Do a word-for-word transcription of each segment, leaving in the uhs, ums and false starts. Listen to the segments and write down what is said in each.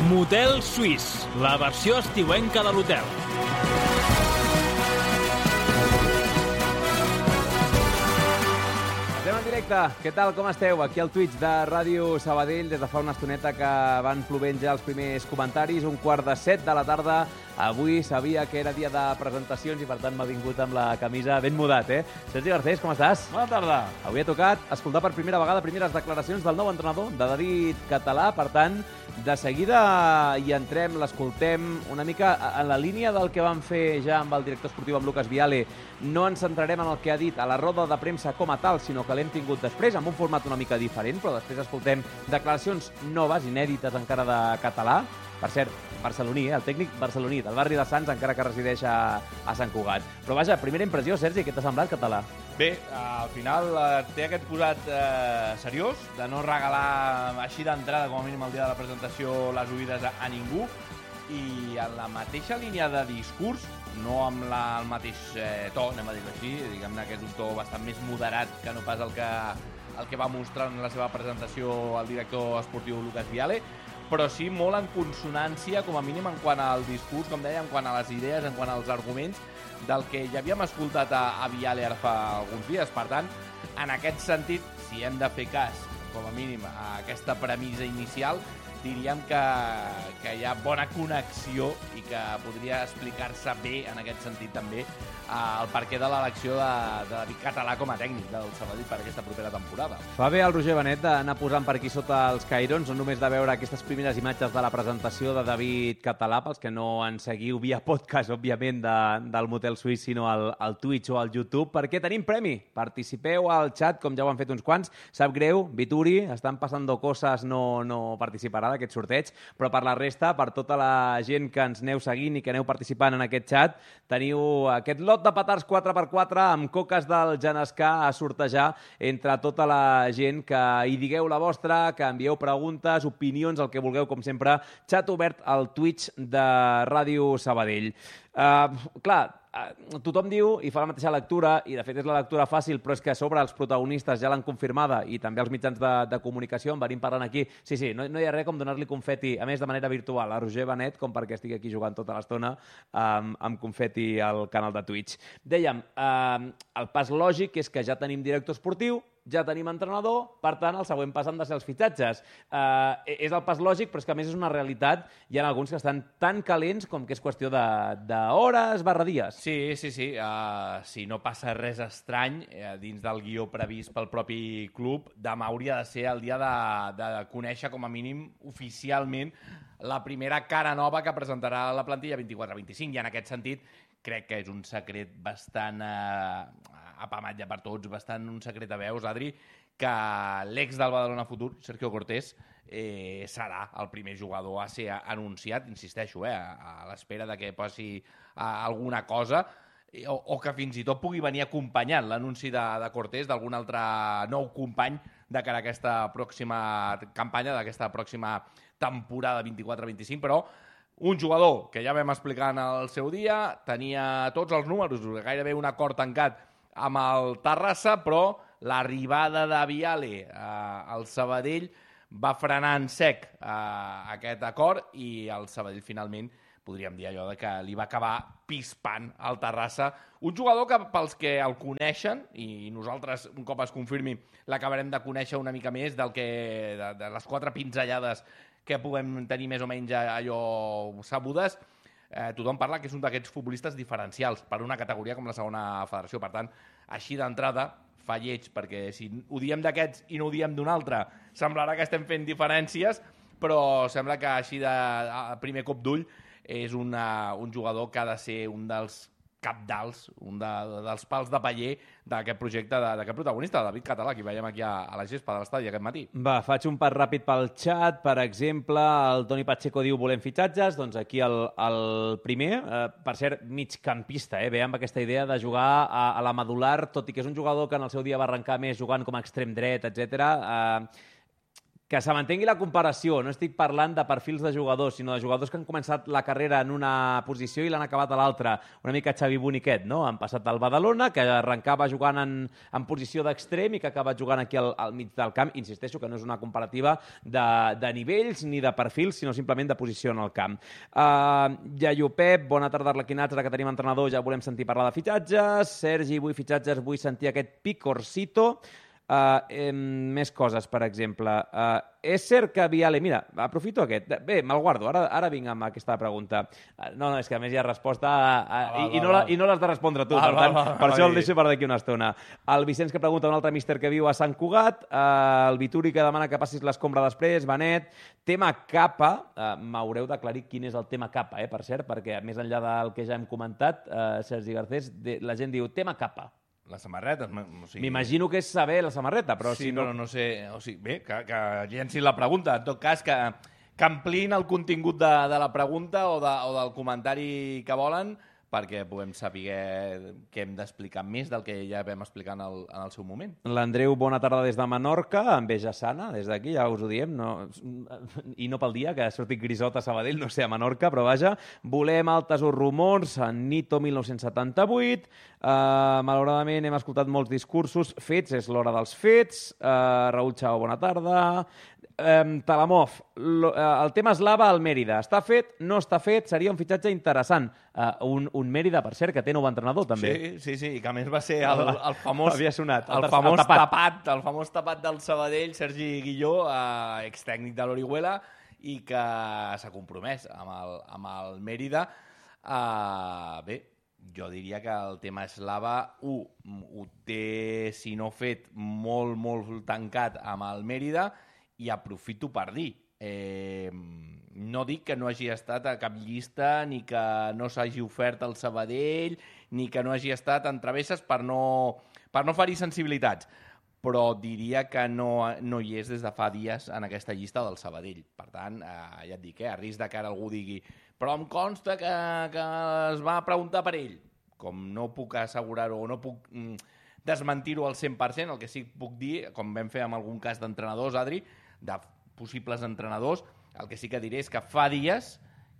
Motel Suís, la versió estiuenca de l'hotel. Estem en directe. Què tal, com esteu? Aquí al Twitch de Ràdio Sabadell, des de fa una estoneta que van plovent ja els primers comentaris, un quart de set de la tarda. Avui sabia que era dia de presentacions i, per tant, m'ha vingut amb la camisa ben mudat, eh? Sergi Garcés, com estàs? Bona tarda. Avui ha tocat escoltar per primera vegada primeres declaracions del nou entrenador, de David Català. Per tant, de seguida hi entrem, l'escoltem una mica en la línia del que vam fer ja amb el director esportiu, amb Lucas Viale. No ens centrarem en el que ha dit a la roda de premsa com a tal, sinó que l'hem tingut després, amb un format una mica diferent, però després escoltem declaracions noves, inèdites encara de Català. Per cert, barceloní, eh? El tècnic barceloní, del barri de Sants, encara que resideix a, a Sant Cugat. Però vaja, primera impressió, Sergi, què t'ha semblat, Català? Bé, al final eh, té aquest posat eh, seriós, de no regalar així d'entrada, com a mínim el dia de la presentació, les oïdes a, a ningú, i en la mateixa línia de discurs, no amb la, el mateix eh, to, anem a dir-ho així, diguem-ne que és un to bastant més moderat que no pas el que, el que va mostrar en la seva presentació el director esportiu Lucas Viale, però sí molt en consonància, com a mínim, en quant al discurs, com deia, en quant a les idees, en quant als arguments, del que ja havíem escoltat a, a Viale ara fa alguns dies. Per tant, en aquest sentit, si hem de fer cas, com a mínim, a aquesta premissa inicial, diríem que, que hi ha bona connexió i que podria explicar-se bé, en aquest sentit també, el perquè de l'elecció de, de David Català com a tècnic del Sabadell per aquesta propera temporada. Fa bé el Roger Benet d'anar posant per aquí sota els cairons, no només de veure aquestes primeres imatges de la presentació de David Català, pels que no en seguiu via podcast, òbviament, de, del Motel Suís, sinó al, al Twitch o al YouTube, perquè tenim premi. Participeu al chat, com ja ho han fet uns quants. Sap greu, Vituri, estan passant coses, no, no participarà d'aquest sorteig, però per la resta, per tota la gent que ens aneu seguint i que aneu participant en aquest chat, teniu aquest lot de petards quatre per quatre amb coques del Genescà a sortejar entre tota la gent que hi digueu la vostra, que envieu preguntes, opinions, el que vulgueu, com sempre, xat obert al Twitch de Ràdio Sabadell. Uh, clar, uh, tothom diu i fa la mateixa lectura, i de fet és la lectura fàcil, però és que a sobre els protagonistes ja l'han confirmada i també els mitjans de, de comunicació en venim parlant aquí. Sí, sí, no, no hi ha res com donar-li confeti, a més de manera virtual, a Roger Benet, com perquè estigui aquí jugant tota l'estona um, amb confeti al canal de Twitch. Dèiem, uh, el pas lògic és que ja tenim director esportiu, ja tenim entrenador, per tant, el següent pas han de ser els fitxatges. Uh, és el pas lògic, però és que a més és una realitat. Hi ha alguns que estan tan calents com que és qüestió d'hores barra dies. Sí, sí, sí. Uh, si no passa res estrany, uh, dins del guió previst pel propi club, demà hauria de ser el dia de, de conèixer, com a mínim, oficialment, la primera cara nova que presentarà la plantilla vint-i-quatre vint-i-cinc, i en aquest sentit crec que és un secret bastant eh, apamat ja per tots, bastant un secret a veus, Adri, que l'ex del Badalona Futur, Sergio Cortés, eh, serà el primer jugador a ser anunciat, insisteixo, eh, a, a l'espera de que passi eh, alguna cosa, o, o que fins i tot pugui venir acompanyant l'anunci de, de Cortés d'algun altre nou company de cara a aquesta pròxima campanya, d'aquesta pròxima temporada vint-i-quatre vint-i-cinc, però un jugador que ja vam explicar en el seu dia, tenia tots els números, gairebé un acord tancat amb el Terrassa, però l'arribada de Viale eh, al Sabadell va frenar en sec eh, aquest acord i el Sabadell finalment podríem dir allò de que li va acabar pispant al Terrassa. Un jugador que pels que el coneixen, i nosaltres un cop es confirmi l'acabarem de conèixer una mica més del que, de, de les quatre pinzellades que puguem tenir més o menys allò sabudes, eh, tothom parla que és un d'aquests futbolistes diferencials per una categoria com la segona federació. Per tant, així d'entrada fa lleig, perquè si ho diem d'aquests i no ho diem d'un altre, semblarà que estem fent diferències, però sembla que així de a primer cop d'ull és una, un jugador que ha de ser un dels capdals, un de, dels pals de paller d'aquest projecte, d'aquest protagonista, David Català, que veiem aquí a, a la gespa de l'estadi aquest matí. Va, faig un pas ràpid pel xat. Per exemple, el Toni Pacheco diu volem fitxatges, doncs aquí el, el primer, eh, per ser migcampista, eh, ve amb aquesta idea de jugar a, a la medular, tot i que és un jugador que en el seu dia va arrencar més jugant com a extrem dret, etcètera. Eh, que se mantengui la comparació. No estic parlant de perfils de jugadors, sinó de jugadors que han començat la carrera en una posició i l'han acabat a l'altra. Una mica Xavi Boniquet, no? Han passat al Badalona, que arrencava jugant en, en posició d'extrem i que ha acabat jugant aquí al, al mig del camp. Insisteixo que no és una comparativa de, de nivells ni de perfils, sinó simplement de posició en el camp. Uh, Iaio Pep, bona tarda, arlequinats. Ara que tenim entrenador ja volem sentir parlar de fitxatges. Sergi, vull fitxatges, vull sentir aquest picorcito. Uh, eh, més coses, per exemple. Uh, és cert que Viale... Mira, aprofito aquest. Bé, me'l guardo. Ara, ara vinc amb aquesta pregunta. Uh, no, no, és que a més hi ha resposta a, a, ah, i, va, i, no la, i no l'has de respondre tu. Ah, per tant, va, va, per va, això va, el deixo per d'aquí una estona. El Vicenç que pregunta un altre míster que viu a Sant Cugat. Uh, el Vituri que demana que passis l'escombra després. Benet. Tema capa. Uh, M'haureu d'aclarir quin és el tema capa, eh, per cert, perquè més enllà del que ja hem comentat, uh, Sergi Garcés, de, la gent diu tema capa. La samarreta. O sigui... M'imagino que és saber la samarreta, però sí, si no... però no sé... O sigui, bé, que, que llenci la pregunta. En tot cas, que, que ampliïn el contingut de, de la pregunta o, de, o del comentari que volen perquè puguem saber què hem d'explicar més del que ja vam explicar en el, en el seu moment. L'Andreu, bona tarda des de Menorca, enveja sana, des d'aquí, ja us ho diem, no... i no pel dia, que ha sortit grisot a Sabadell, no sé, a Menorca, però vaja, volem altes o rumors, en Nito mil nou-cents setanta-vuit, uh, malauradament hem escoltat molts discursos, fets, és l'hora dels fets, uh, Raül Chao, bona tarda... Um, Talamov, lo, uh, el tema eslava al Mèrida. Està fet? No està fet? Seria un fitxatge interessant. Uh, un, un Mèrida, per cert, que té nou entrenador, també. Sí, sí, sí, i que a més va ser el, el famós... Havia sonat. El, el, famós el, tapat. Tapat, el famós tapat del Sabadell, Sergi Guilló, uh, extècnic de l'Orihuela, i que s'ha compromès amb el, amb el Mèrida. Uh, bé, jo diria que el tema eslava, u, ho té, si no fet, molt, molt tancat amb el Mèrida, i aprofito per dir, eh, no dic que no hagi estat a cap llista, ni que no s'hagi ofert al Sabadell, ni que no hagi estat en travesses per no, per no ferir sensibilitats, però diria que no, no hi és des de fa dies en aquesta llista del Sabadell. Per tant, eh, ja et dic, eh, a risc de que ara algú digui però em consta que, que es va preguntar per ell. Com no puc assegurar-ho o no puc... Mm, desmentir-ho al cent per cent, el que sí que puc dir, com vam fer amb algun cas d'entrenadors, Adri, de possibles entrenadors, el que sí que diré és que fa dies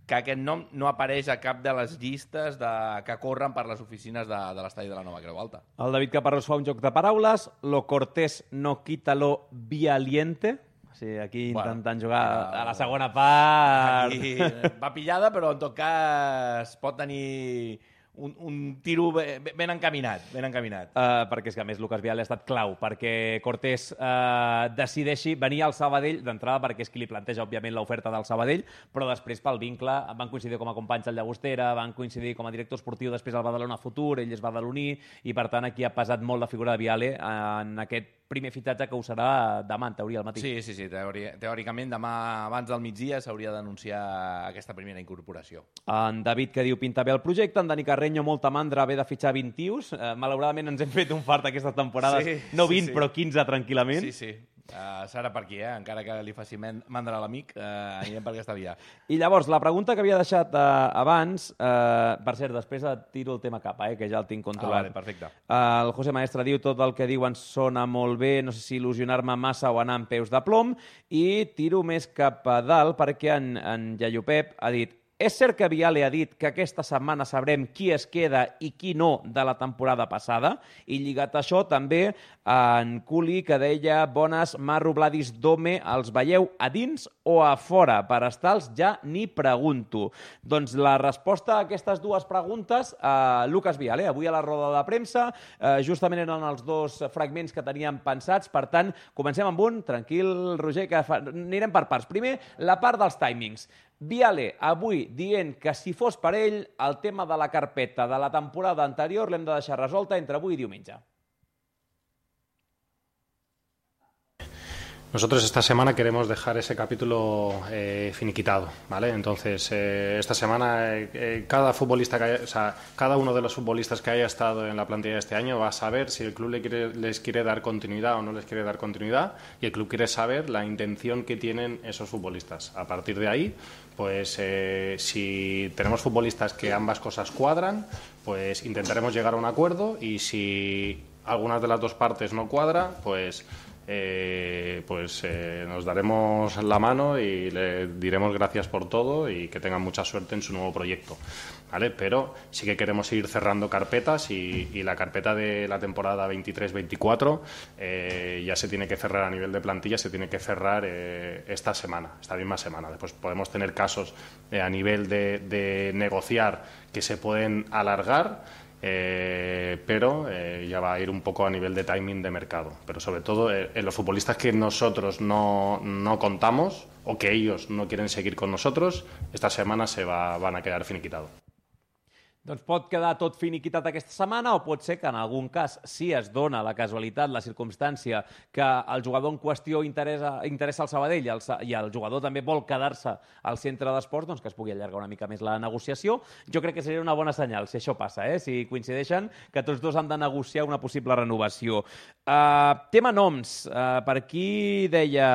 que aquest nom no apareix a cap de les llistes de, que corren per les oficines de, de l'estadi de la Nova Creu Alta. El David Caparrós fa un joc de paraules, lo cortés no quita lo vialiente. Sí, aquí bueno, intentant jugar ja, a la segona part. Aquí va pillada, però en tot cas pot tenir... Un, un tiro ben encaminat, ben encaminat. Uh, perquè és que, a més, Lucas Viale ha estat clau perquè Cortés uh, decideixi venir al Sabadell, d'entrada perquè és qui li planteja, òbviament, l'oferta del Sabadell, però després pel vincle, van coincidir com a companys al Llagostera, van coincidir com a director esportiu després al Badalona Futur, ell és badaloní, i per tant aquí ha pesat molt la figura de Viale en aquest primer fitxatge que ho serà demà, en teoria, al matí. Sí, sí, sí. Teori teòricament, demà abans del migdia s'hauria d'anunciar aquesta primera incorporació. En David, que diu, pinta bé el projecte. En Dani Carreño, molta mandra, haver de fitxar vint tios. Eh, malauradament ens hem fet un fart aquestes temporades. Sí, no vint, sí, sí. Però quinze tranquil·lament. Sí, sí. Uh, serà per aquí, eh? Encara que li faci mandra a l'amic, uh, anirem per aquesta via. I llavors, la pregunta que havia deixat uh, abans, uh, per cert, després tiro el tema capa, eh, que ja el tinc controlat. Ah, vale, perfecte. Uh, el José Maestre diu, tot el que diuen sona molt bé, no sé si il·lusionar-me massa o anar amb peus de plom, i tiro més cap a dalt perquè en, en Iaio Pep ha dit: és cert que Viale ha dit que aquesta setmana sabrem qui es queda i qui no de la temporada passada? I lligat a això també en Culi, que deia: bones, Marro, Vladis, Dome, els veieu a dins o a fora? Per estar-los ja ni pregunto. Doncs la resposta a aquestes dues preguntes, eh, Lucas Viale, avui a la roda de premsa, eh, justament eren els dos fragments que teníem pensats, per tant, comencem amb un, tranquil, Roger, que fa... anirem per parts. Primer, la part dels timings. Viale, avui, dient que si fos per ell, el tema de la carpeta de la temporada anterior l'hem de deixar resolta entre avui i diumenge. Nosotros esta semana queremos dejar ese capítulo eh, finiquitado, ¿vale? Entonces, eh, esta semana eh, cada futbolista que haya, o sea, cada uno de los futbolistas que haya estado en la plantilla de este año va a saber si el club le quiere, les quiere dar continuidad o no les quiere dar continuidad, y el club quiere saber la intención que tienen esos futbolistas. A partir de ahí, pues eh, si tenemos futbolistas que ambas cosas cuadran, pues intentaremos llegar a un acuerdo, y si algunas de las dos partes no cuadra, pues eh, pues eh, nos daremos la mano y le diremos gracias por todo y que tengan mucha suerte en su nuevo proyecto, ¿vale? Pero sí que queremos ir cerrando carpetas y, y la carpeta de la temporada veintitrés veinticuatro eh, ya se tiene que cerrar a nivel de plantilla, se tiene que cerrar eh, esta semana, esta misma semana. Después podemos tener casos eh, a nivel de, de negociar que se pueden alargar, Eh, pero eh, ya va a ir un poco a nivel de timing de mercado. Pero sobre todo eh, en los futbolistas que nosotros no, no contamos o que ellos no quieren seguir con nosotros, esta semana se va, van a quedar finiquitados. Doncs pot quedar tot finiquitat aquesta setmana o pot ser que en algun cas, si es dona la casualitat, la circumstància, que el jugador en qüestió interessa, interessa el Sabadell i el, i el jugador també vol quedar-se al centre d'esports, doncs que es pugui allargar una mica més la negociació. Jo crec que seria una bona senyal, si això passa, eh? Si coincideixen que tots dos han de negociar una possible renovació. Uh, tema noms. Uh, per aquí deia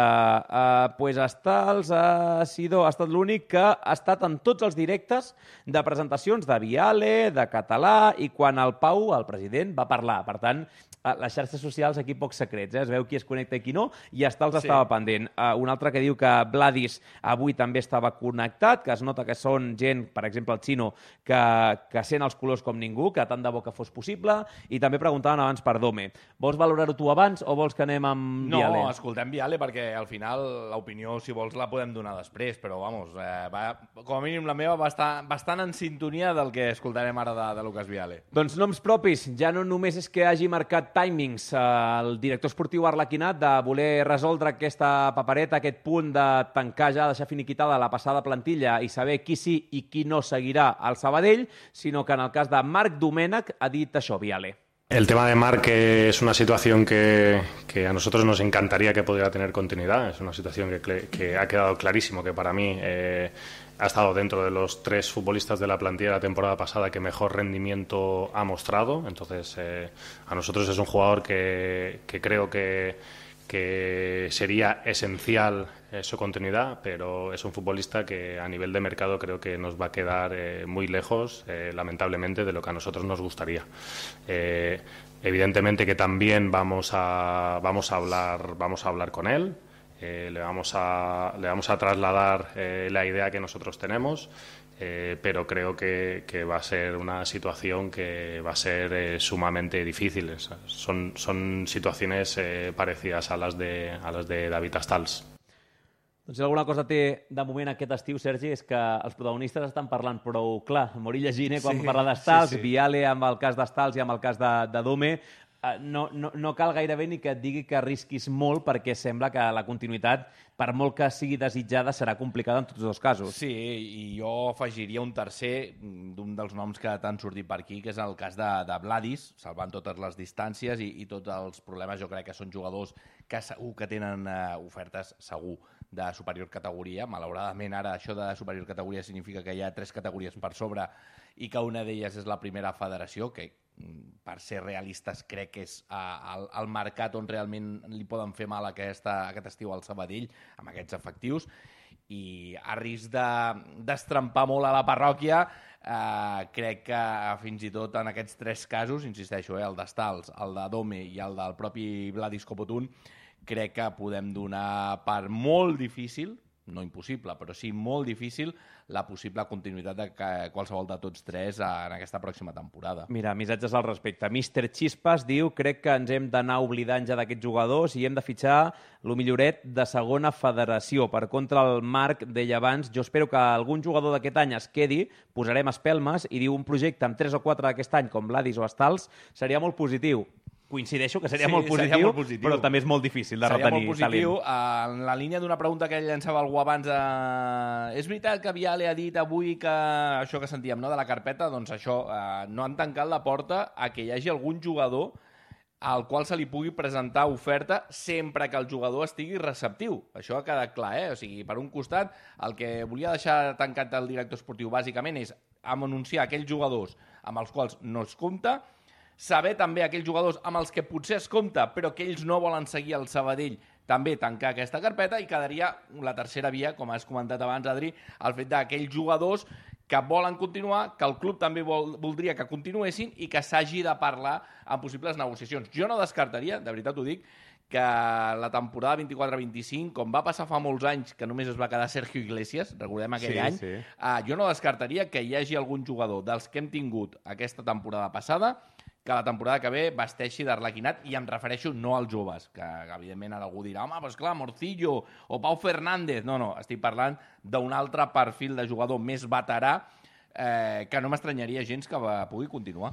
uh, pues Stals uh, Sidó ha estat l'únic que ha estat en tots els directes de presentacions de Vial, de Català, i quan el Pau, el president, va parlar. Per tant, a les xarxes socials aquí pocs secrets, eh? Es veu qui es connecta i qui no, i Stals sí. estava pendent. Uh, un altre que diu que Vladis avui també estava connectat, que es nota que són gent, per exemple el Chino, que, que sent els colors com ningú, que tant de bo que fos possible, i també preguntaven abans per Dome. Vols valorar-ho tu abans o vols que anem amb no, Viale? No, escoltem Viale perquè al final l'opinió, si vols, la podem donar després, però vamos, eh, va, com a mínim la meva va estar bastant en sintonia del que escoltarem ara de, de Lucas Viale. Doncs noms propis, ja no només és que hagi marcat timings el director esportiu Arlequinat de voler resoldre aquesta papereta, aquest punt de tancar ja, deixar finiquitada la passada plantilla i saber qui sí i qui no seguirà al Sabadell, sinó que en el cas de Marc Domènech ha dit això, Viale. El tema de Marc es una situación que, que a nosotros nos encantaría que pudiera tener continuidad. Es una situación que, que ha quedado clarísimo que para mí eh, ha estado dentro de los tres futbolistas de la plantilla de la temporada pasada que mejor rendimiento ha mostrado. Entonces, eh, a nosotros es un jugador que, que creo que, que sería esencial eh, su continuidad, pero es un futbolista que a nivel de mercado creo que nos va a quedar eh, muy lejos, eh, lamentablemente, de lo que a nosotros nos gustaría. Eh, evidentemente que también vamos a, vamos a hablar, vamos a hablar con él. Eh, le, vamos a, le vamos a trasladar eh, la idea que nosotros tenemos, eh, pero creo que, que va a ser una situación que va a ser eh, sumamente difícil. Son, son situaciones eh, parecidas a las de, a las de David Stals. Doncs si alguna cosa té de moment aquest estiu, Sergi, és que els protagonistes estan parlant prou clar. Morí llegint eh, quan sí, parla d'Stals, sí, sí. Viale amb el cas d'Stals i amb el cas de, de Dome. No, no, no cal gairebé ni que et digui que arrisquis molt perquè sembla que la continuïtat, per molt que sigui desitjada, serà complicada en tots dos casos. Sí, i jo afegiria un tercer d'un dels noms que t'han sortit per aquí, que és el cas de, de Vladis, salvant totes les distàncies i, i tots els problemes. Jo crec que són jugadors que segur que tenen uh, ofertes, segur, de superior categoria. Malauradament, ara això de superior categoria significa que hi ha tres categories per sobre i que una d'elles és la primera federació, que per ser realistes crec que és uh, el, el mercat on realment li poden fer mal aquesta, aquest estiu al Sabadell amb aquests efectius, i a risc d'estrampar de, molt a la parròquia, uh, crec que fins i tot en aquests tres casos, insisteixo, eh, el d'Stals, el de Dome i el del propi Vladis Copotun, crec que podem donar per molt difícil, no impossible, però sí molt difícil, la possible continuïtat de qualsevol de tots tres en aquesta pròxima temporada. Mira, missatges al respecte. míster Chispas diu: crec que ens hem d'anar oblidant ja d'aquests jugadors i hem de fitxar lo milloret de segona federació. Per contra, el Marc deia abans: jo espero que algun jugador d'aquest any es quedi, posarem espelmes, i diu un projecte amb tres o quatre d'aquest any, com Vladis o Stals, seria molt positiu. Coincideixo que seria, sí, molt, positiu, seria molt positiu, però també és molt difícil de seria retenir talent. Seria molt positiu. Uh, en la línia d'una pregunta que ell llançava algú abans, uh, és veritat que Viale ha dit avui que això que sentíem, no, de la carpeta, doncs això, uh, no han tancat la porta a que hi hagi algun jugador al qual se li pugui presentar oferta sempre que el jugador estigui receptiu. Això ha quedat clar, eh? O sigui, per un costat, el que volia deixar tancat el director esportiu bàsicament és anunciar aquells jugadors amb els quals no es compta, saber també aquells jugadors amb els que potser es compta però que ells no volen seguir al Sabadell, també tancar aquesta carpeta, i quedaria la tercera via, com has comentat abans, Adri, el fet d'aquells jugadors que volen continuar, que el club també vol, voldria que continuessin i que s'hagi de parlar en possibles negociacions. Jo no descartaria, de veritat ho dic, que la temporada vint-i-quatre vint-i-cinc, com va passar fa molts anys que només es va quedar Sergio Iglesias, recordem aquell Sí, any, sí. uh, jo no descartaria que hi hagi algun jugador dels que hem tingut aquesta temporada passada que la temporada que ve vesteixi d'arlequinat, i em refereixo no als joves, que, que evidentment ara algú dirà, home, però esclar, Morcillo o Pau Fernández. No, no, estic parlant d'un altre perfil de jugador més veterà eh, que no m'estranyaria gens que va, pugui continuar.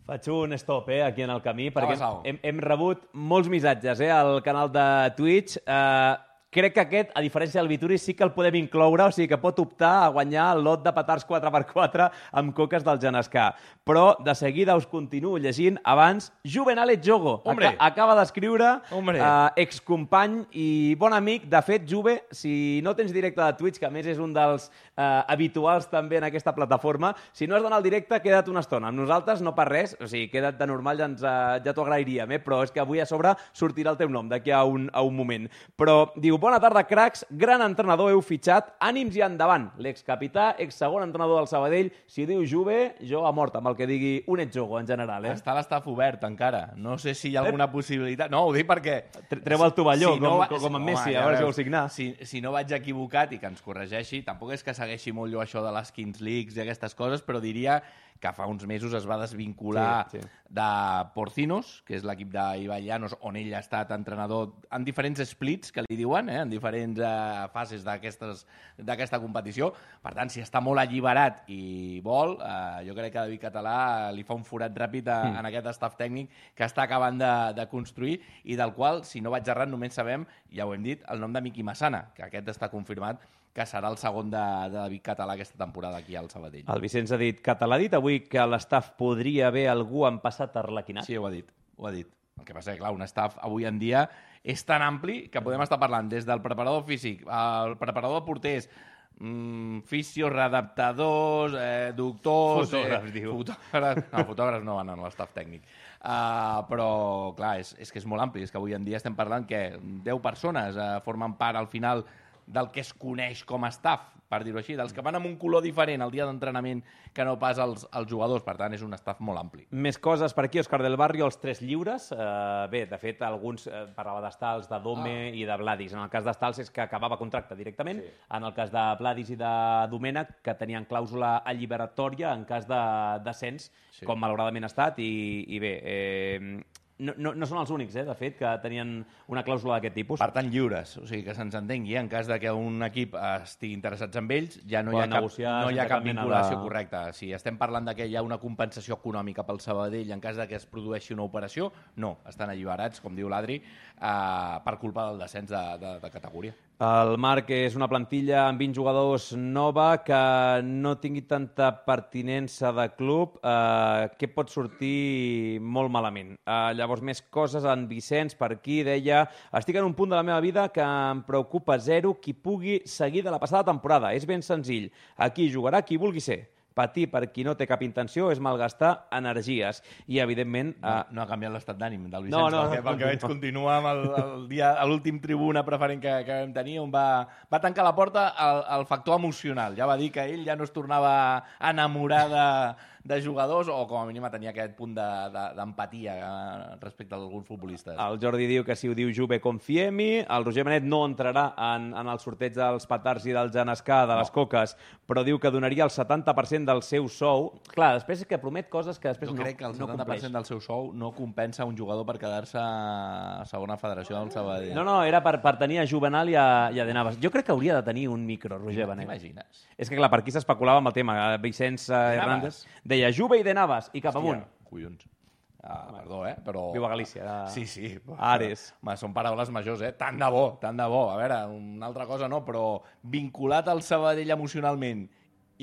Faig un stop, eh, aquí en el camí, perquè Au. hem, hem rebut molts missatges, eh, al canal de Twitch. Eh, crec que aquest, a diferència del Vituri, sí que el podem incloure, o sigui que pot optar a guanyar el lot de petards quatre per quatre amb coques del Genescà. Però, de seguida, us continuo llegint. Abans, Juvenal Jogo. Hombre. Aca acaba d'escriure, Hombre. eh, excompany i bon amic. De fet, Juve, si no tens directe de Twitch, que a més és un dels eh, habituals també en aquesta plataforma, si no has d'anar al directe, queda't una estona. Amb nosaltres no per res, o sigui, queda't de normal, ja, ens, eh, ja t'ho agrairíem, eh? Però és que avui a sobre sortirà el teu nom d'aquí a un, a un moment. Però diu, bona tarda, cracs, gran entrenador heu fitxat, ànims i endavant. L'excapità, ex-segon entrenador del Sabadell, si diu Juve, jo a mort amb el que digui un Jogo en general, eh? Està l'estaf obert encara. No sé si hi ha alguna possibilitat. No, ho dic perquè... Treu el tovalló, si no com, va- com, com en Messi, home, a veure si veus, vol signar. Si, si no vaig equivocat i que ens corregeixi, tampoc és que segueixi molt jo això de les Kings Leagues i aquestes coses, però diria que fa uns mesos es va desvincular Sí, sí. de Porcinos, que és l'equip d'Ibai Llanos, on ell ha estat entrenador en diferents splits, que li diuen, eh, en diferents eh, fases d'aquestes- d'aquesta competició. Per tant, si està molt alliberat i vol, eh, jo crec que David Català li fa un forat ràpid a, Mm. en aquest staff tècnic que està acabant de, de construir i del qual, si no vaig errat, només sabem, ja ho hem dit, el nom de Miqui Massana, que aquest està confirmat que serà el segon de, de David Català aquesta temporada aquí al Sabadell. El Vicenç ha dit, Català ha dit avui que a l'estaf podria haver algú en passat arlequinat. Sí, ho ha dit, ho ha dit. El que passa és que, clar, un staff avui en dia és tan ampli que podem estar parlant des del preparador físic, el preparador de porters, mm, fisios, readaptadors, eh, doctors... Fotògrafs, eh, diu. Fotògrafs, no, fotògrafs no van en l'estaf tècnic. Uh, però, clar, és, és que és molt ampli. És que avui en dia estem parlant que deu persones uh, formen part al final del que es coneix com a staff, per dir-ho així, dels que van amb un color diferent el dia d'entrenament que no pas els, els jugadors. Per tant, és un staff molt ampli. Més coses per aquí, Òscar del Barrio, els tres lliures. Eh, bé, de fet, alguns eh, parlava d'Estals, de Dome ah. i de Vladis. En el cas d'Estals és que acabava contracte directament. Sí. En el cas de Vladis i de Domènech, que tenien clàusula alliberatòria en cas de descens, sí. com malauradament ha estat. I, i bé, eh, no, no, no són els únics, eh, de fet, que tenien una clàusula d'aquest tipus. Per tant, lliures. O sigui, que se'ns entengui, en cas de que un equip estigui interessats en ells, ja no hi ha Poden cap, negociar no hi ha sense cap cap mena vinculació de- correcta. Si estem parlant de que hi ha una compensació econòmica pel Sabadell en cas de que es produeixi una operació, no, estan alliberats, com diu l'Adri, eh, per culpa del descens de, de, de categoria. El Marc és una plantilla amb vint jugadors nova que no tingui tanta pertinença de club, eh, que pot sortir molt malament. Eh, llavors, més coses, en Vicenç per aquí deia: estic en un punt de la meva vida que em preocupa zero qui pugui seguir de la passada temporada. És ben senzill. Aquí jugarà qui vulgui ser. Patir per qui no té cap intenció és malgastar energies. I, evidentment... No, Eh, no ha canviat l'estat d'ànim del Vicenç, No, no, perquè, no, pel que veig continua amb el, el dia, a l'últim tribuna preferent que, que vam tenir, on va, va tancar la porta al, al factor emocional. Ja va dir que ell ja no es tornava a enamorar de, de jugadors, o com a mínim tenia aquest punt d'empatia de, de, respecte a alguns futbolistes. El Jordi diu que si ho diu Juve, confiemi. El Roger Benet no entrarà en, en el sorteig dels petards i del Genescà, de les No. coques, però diu que donaria el setanta per cent del seu sou. Clar, després és que promet coses que després Jo no, crec que el no setanta per cent compleix. del seu sou no compensa un jugador per quedar-se a segona federació del Sabadell. No, no, era per, per tenir a Juvenal i a, i a De Navas. Jo crec que hauria de tenir un micro, Roger Benet. T'imagines? És que, clar, per aquí s'especulava amb el tema. Vicenç eh, Navas. Hernández deia Juve i De Navas, i cap amunt. Hòstia, collons. Ah, perdó, eh? Però... Viu a Galícia. Era... Sí, sí. Ares. Ma, són paraules majors, eh? Tant de bo, tant de bo. A veure, una altra cosa no, però vinculat al Sabadell emocionalment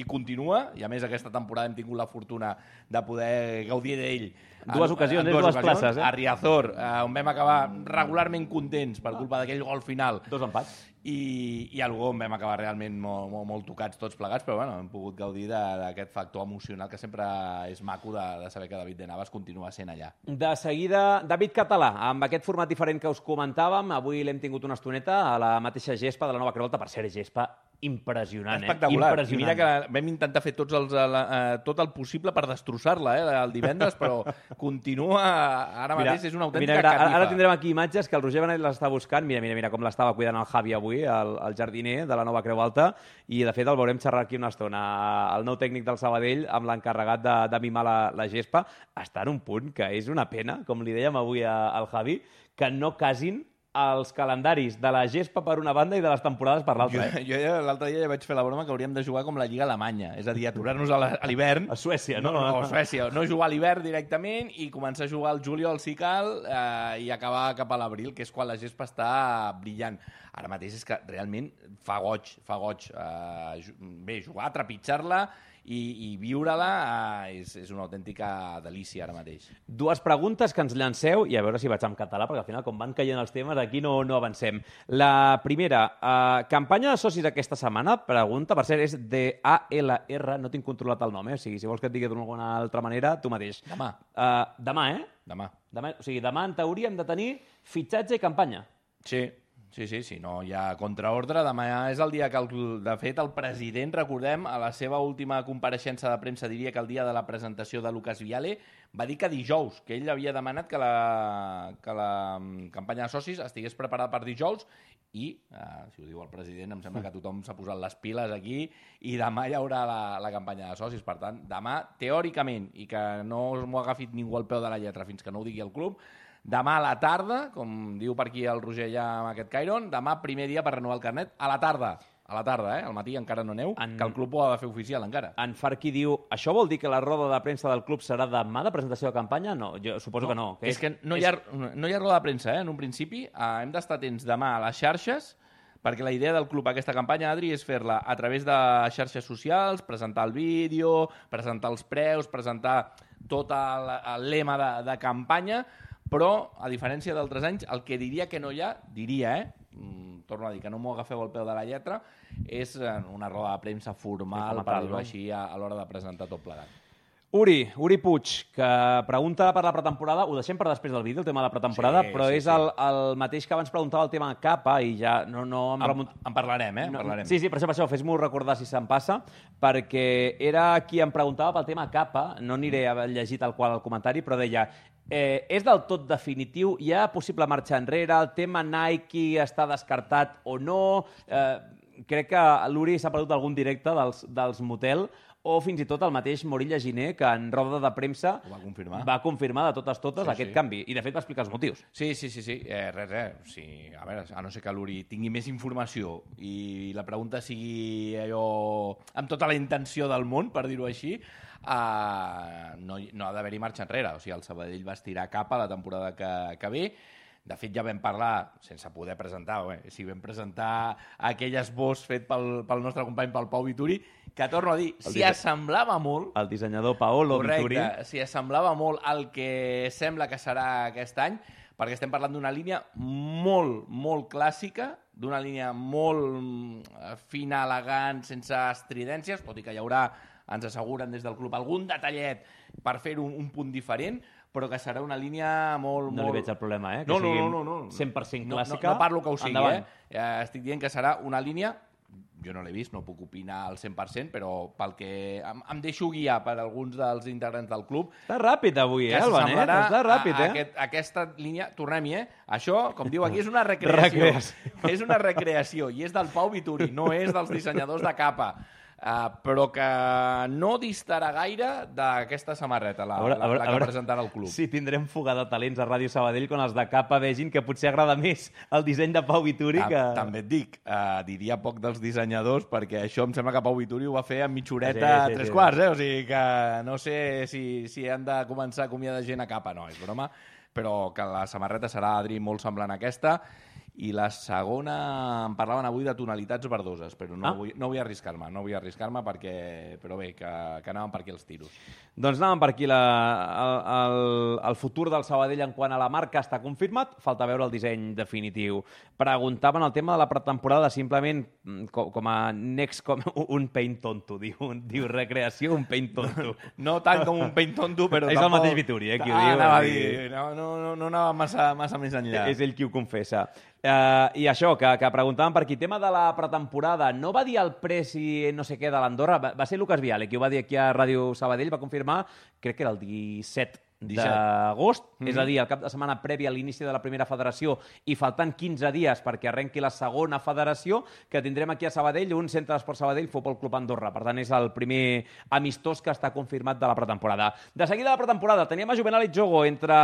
i continua, i a més aquesta temporada hem tingut la fortuna de poder gaudir d'ell. Dues en- ocasions, en eh? Dues places, eh? A Riazor, eh, on vam acabar regularment contents per culpa d'aquell gol final. Dos empats. i, i algú vam acabar realment molt, molt, molt tocats tots plegats, però bueno, hem pogut gaudir d'aquest factor emocional que sempre és maco de, de saber que David de Navas continua sent allà. De seguida, David Català, amb aquest format diferent que us comentàvem, avui l'hem tingut una estoneta a la mateixa gespa de la Nova Creu Alta, per ser gespa impressionant, espectacular. eh? Impressionant. I mira que vam intentar fer tots els, eh, tot el possible per destrossar-la eh, el divendres, però continua, ara mateix mira, és una autèntica mira, mira, catifa. Ara tindrem aquí imatges que el Roger Benet les està buscant. Mira, mira, mira com l'estava cuidant el Javi avui, el, el jardiner de la Nova Creu Alta, i de fet el veurem xerrar aquí una estona. El nou tècnic del Sabadell, amb l'encarregat de, de mimar la, la gespa, està en un punt que és una pena, com li dèiem avui a, al Javi, que no casin els calendaris de la gespa per una banda i de les temporades per l'altra. Jo, jo ja, l'altre dia ja vaig fer la broma que hauríem de jugar com la Lliga Alemanya, és a dir, aturar-nos a l'hivern... A Suècia, no? No, no, a Suècia. No jugar a l'hivern directament i començar a jugar al juliol si cal eh, i acabar cap a l'abril, que és quan la gespa està brillant. Ara mateix és que realment fa goig, fa goig. Eh, bé, jugar, trepitjar-la i, i viure-la eh, és, és una autèntica delícia ara mateix. Dues preguntes que ens llanceu, i a veure si vaig en català, perquè al final, com van caient els temes, aquí no, no avancem. La primera, eh, campanya de socis aquesta setmana, pregunta, per cert, és de A L R, no tinc controlat el nom, eh? O sigui, si vols que et digui d'alguna altra manera, tu mateix. Demà. Uh, demà, eh? Demà. demà. O sigui, demà en teoria hem de tenir fitxatge i campanya. Sí. Sí, sí, sí, no hi ha contraordre. Demà és el dia que, el, de fet, el president, recordem, a la seva última compareixença de premsa, diria que el dia de la presentació de Lucas Viale, va dir que dijous, que ell havia demanat que la, que la campanya de socis estigués preparada per dijous i, eh, si ho diu el president, em sembla que tothom s'ha posat les piles aquí i demà hi haurà la, la campanya de socis. Per tant, demà, teòricament, i que no m'ho ha agafit ningú al peu de la lletra fins que no ho digui el club, demà a la tarda, com diu per aquí el Roger ja amb aquest Cairon, demà primer dia per renovar el carnet, a la tarda. A la tarda, eh? Al matí encara no aneu, en... que el club ho ha de fer oficial encara. En Farqui diu, això vol dir que la roda de premsa del club serà demà de presentació de campanya? No, jo suposo no, que no. Que és, és que no hi, ha, no hi ha roda de premsa, eh? En un principi eh, hem d'estar atents demà a les xarxes, perquè la idea del club aquesta campanya, Adri, és fer-la a través de xarxes socials, presentar el vídeo, presentar els preus, presentar tot el, el lema de, de campanya, però, a diferència d'altres anys, el que diria que no hi ha, diria, eh? Mm, torno a dir que no m'ho agafeu al peu de la lletra, és una roda de premsa formal, sí, per dir-ho així, a, a l'hora de presentar tot plegat. Uri, Uri Puig, que pregunta per la pretemporada, ho deixem per després del vídeo, el tema de la pretemporada, sí, però sí, és sí. El, el mateix que abans preguntava el tema capa i ja no... no em, remunt... en, en parlarem, eh? En no, parlarem. Sí, sí, per això, per això fes-m'ho recordar si se'n passa, perquè era qui em preguntava pel tema capa, no aniré a llegir tal qual el comentari, però deia, eh, és del tot definitiu, hi ha possible marxa enrere, el tema Nike està descartat o no... Eh, crec que l'Uri s'ha perdut algun directe dels, dels motel, o fins i tot el mateix Morilla Giner, que en roda de premsa va confirmar, va confirmar de totes totes sí, aquest sí. canvi. I, de fet, va explicar els motius. Sí, sí, sí. sí. Eh, res, res. Sí, a veure, a no ser que l'Uri tingui més informació i la pregunta sigui allò amb tota la intenció del món, per dir-ho així, eh, no, no ha d'haver-hi marxa enrere. O sigui, el Sabadell va estirar cap a la temporada que, que ve. De fet, ja vam parlar, sense poder presentar, bé, si vam presentar aquell esbós fet pel, pel nostre company, pel Pau Vituri, que torno a dir, s'hi assemblava molt... El dissenyador Paolo Vituri. Correcte, s'hi assemblava molt al que sembla que serà aquest any, perquè estem parlant d'una línia molt, molt clàssica, d'una línia molt fina, elegant, sense estridències, tot i que hi haurà, ens asseguren des del club, algun detallet per fer un, un punt diferent, però que serà una línia molt... No molt... li veig el problema, eh? Que no, no, sigui no, no, no. cent per cent clàssica. No, no, no parlo que ho sigui, endavant. eh? Estic dient que serà una línia... Jo no l'he vist, no puc opinar al cent per cent, però pel que em, em deixo guiar per alguns dels integrants del club... Està ràpid avui, eh, el Benet? Està ràpid, eh? Aquest, aquesta línia, tornem-hi, eh? Això, com diu aquí, és una recreació. recreació. És una recreació, i és del Pau Vituri, no és dels dissenyadors de capa. Uh, però que no distarà gaire d'aquesta samarreta, la, veure, la, la que veure, presentarà el club. Sí, tindrem fuga de talents a Ràdio Sabadell quan els de capa vegin que potser agrada més el disseny de Pau Vituri que... També et dic, uh, diria poc dels dissenyadors, perquè això em sembla que Pau Vituri ho va fer amb mitjoreta sí, sí, tres sí, quarts, eh? O sigui que no sé si, si han de començar a acomiadar gent a capa, no, és broma, però que la samarreta serà, Adri, molt semblant a aquesta. i la segona em parlaven avui de tonalitats verdoses, però no, ah. vull, no vull arriscar-me, no vull arriscar-me perquè, però bé, que, que anaven per aquí els tiros. Doncs anàvem per aquí. La, el, el, el futur del Sabadell en quant a la marca està confirmat, falta veure el disseny definitiu. Preguntaven el tema de la pretemporada, simplement com, com a next, com un paint tonto, diu, diu recreació, un paint tonto. No tant com un paint tonto, però és tampoc... el mateix Vituri, eh, qui ho ah, diu. Anava a dir, no, no, no, no anava massa, massa més enllà. És ell qui ho confessa. Uh, I això, que, que preguntàvem per aquí, tema de la pretemporada, no va dir el Presi no sé què de l'Andorra, va, va ser Lucas Viale, qui ho va dir aquí a Ràdio Sabadell, va confirmar, crec que era el disset d'agost, mm-hmm. és a dir, el cap de setmana previ a l'inici de la primera federació i faltant quinze dies perquè arrenqui la segona federació, que tindrem aquí a Sabadell un centre d'esport Sabadell Futbol Club Andorra. Per tant, és el primer amistós que està confirmat de la pretemporada. De seguida la pretemporada, teníem a Juvenal i Jogo entre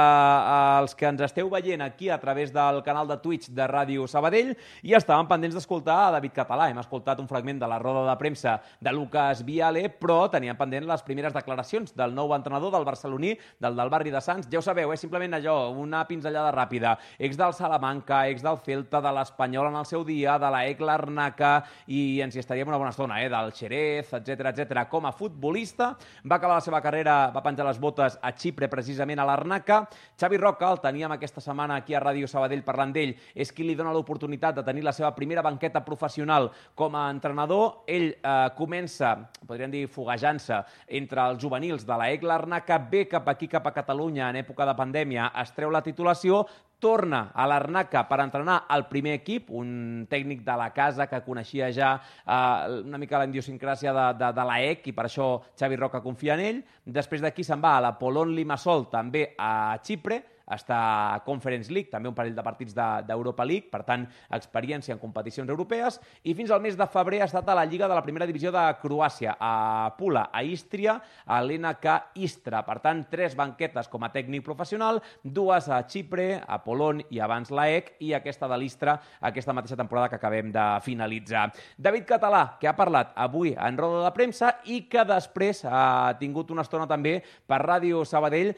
els que ens esteu veient aquí a través del canal de Twitch de Ràdio Sabadell i estàvem pendents d'escoltar a David Català. Hem escoltat un fragment de la roda de premsa de Lucas Viale, però teníem pendent les primeres declaracions del nou entrenador del barceloní, del del barri de Sants. Ja ho sabeu, és eh? simplement allò, una pinzellada ràpida. Ex del Salamanca, ex del Celta, de l'Espanyol en el seu dia, de la E C Larnaca, i ens hi estaríem una bona estona, eh? del Xerez, etcètera, etcètera. Com a futbolista, va acabar la seva carrera, va penjar les botes a Xipre, precisament a l'Arnaca. Xavi Roca, el teníem aquesta setmana aquí a Ràdio Sabadell parlant d'ell, és qui li dona l'oportunitat de tenir la seva primera banqueta professional com a entrenador. Ell eh, comença, podríem dir, foguejant-se entre els juvenils de la E C Larnaca, ve cap aquí, cap a Catalunya en època de pandèmia, es treu la titulació, torna a l'Arnaca per entrenar el primer equip, un tècnic de la casa que coneixia ja eh, una mica la idiosincràsia de, de, de la E C i per això Xavi Roca confia en ell. Després d'aquí se'n va a l'Apollon Limassol, també a Xipre, està a Conference League, també un parell de partits d'Europa de, League, per tant, experiència en competicions europees, i fins al mes de febrer ha estat a la Lliga de la Primera Divisió de Croàcia, a Pula, a Ístria, a l'N K Istra. Per tant, tres banquetes com a tècnic professional, dues a Xipre, a Polon i abans la E C, i aquesta de l'Istra, aquesta mateixa temporada que acabem de finalitzar. David Català, que ha parlat avui en roda de premsa i que després ha tingut una estona també per Ràdio Sabadell.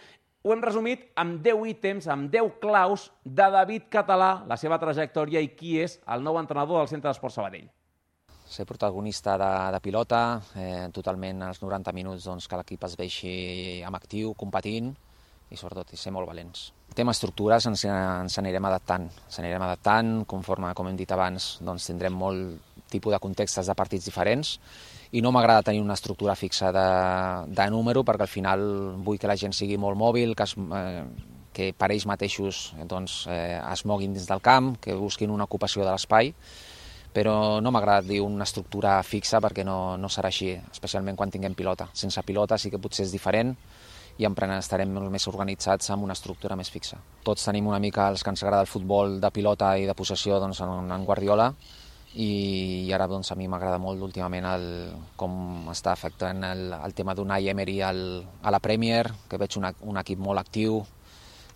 Ho hem resumit amb deu ítems, amb deu claus de David Català, la seva trajectòria i qui és el nou entrenador del Centre d'Esport Sabadell. Ser protagonista de, de pilota, eh, totalment als noranta minuts doncs, que l'equip es veixi amb actiu, competint i sobretot ser molt valents. El tema estructures ens, ens anirem adaptant, ens anirem adaptant, conforme, com hem dit abans, doncs, tindrem molt tipus de contextes de partits diferents i no m'agrada tenir una estructura fixa de, de número perquè al final vull que la gent sigui molt mòbil, que, es, eh, que per ells mateixos doncs, eh, es moguin dins del camp, que busquin una ocupació de l'espai, però no m'agrada dir una estructura fixa perquè no, no serà així, especialment quan tinguem pilota. Sense pilota sí que potser és diferent i estarem molt més organitzats amb una estructura més fixa. Tots tenim una mica els que ens agrada el futbol de pilota i de possessió doncs, en, en Guardiola, i ara doncs, a mi m'agrada molt últimament el, com està afectant el, el tema d'Unai Emery al, a la Premier, que veig una, un equip molt actiu,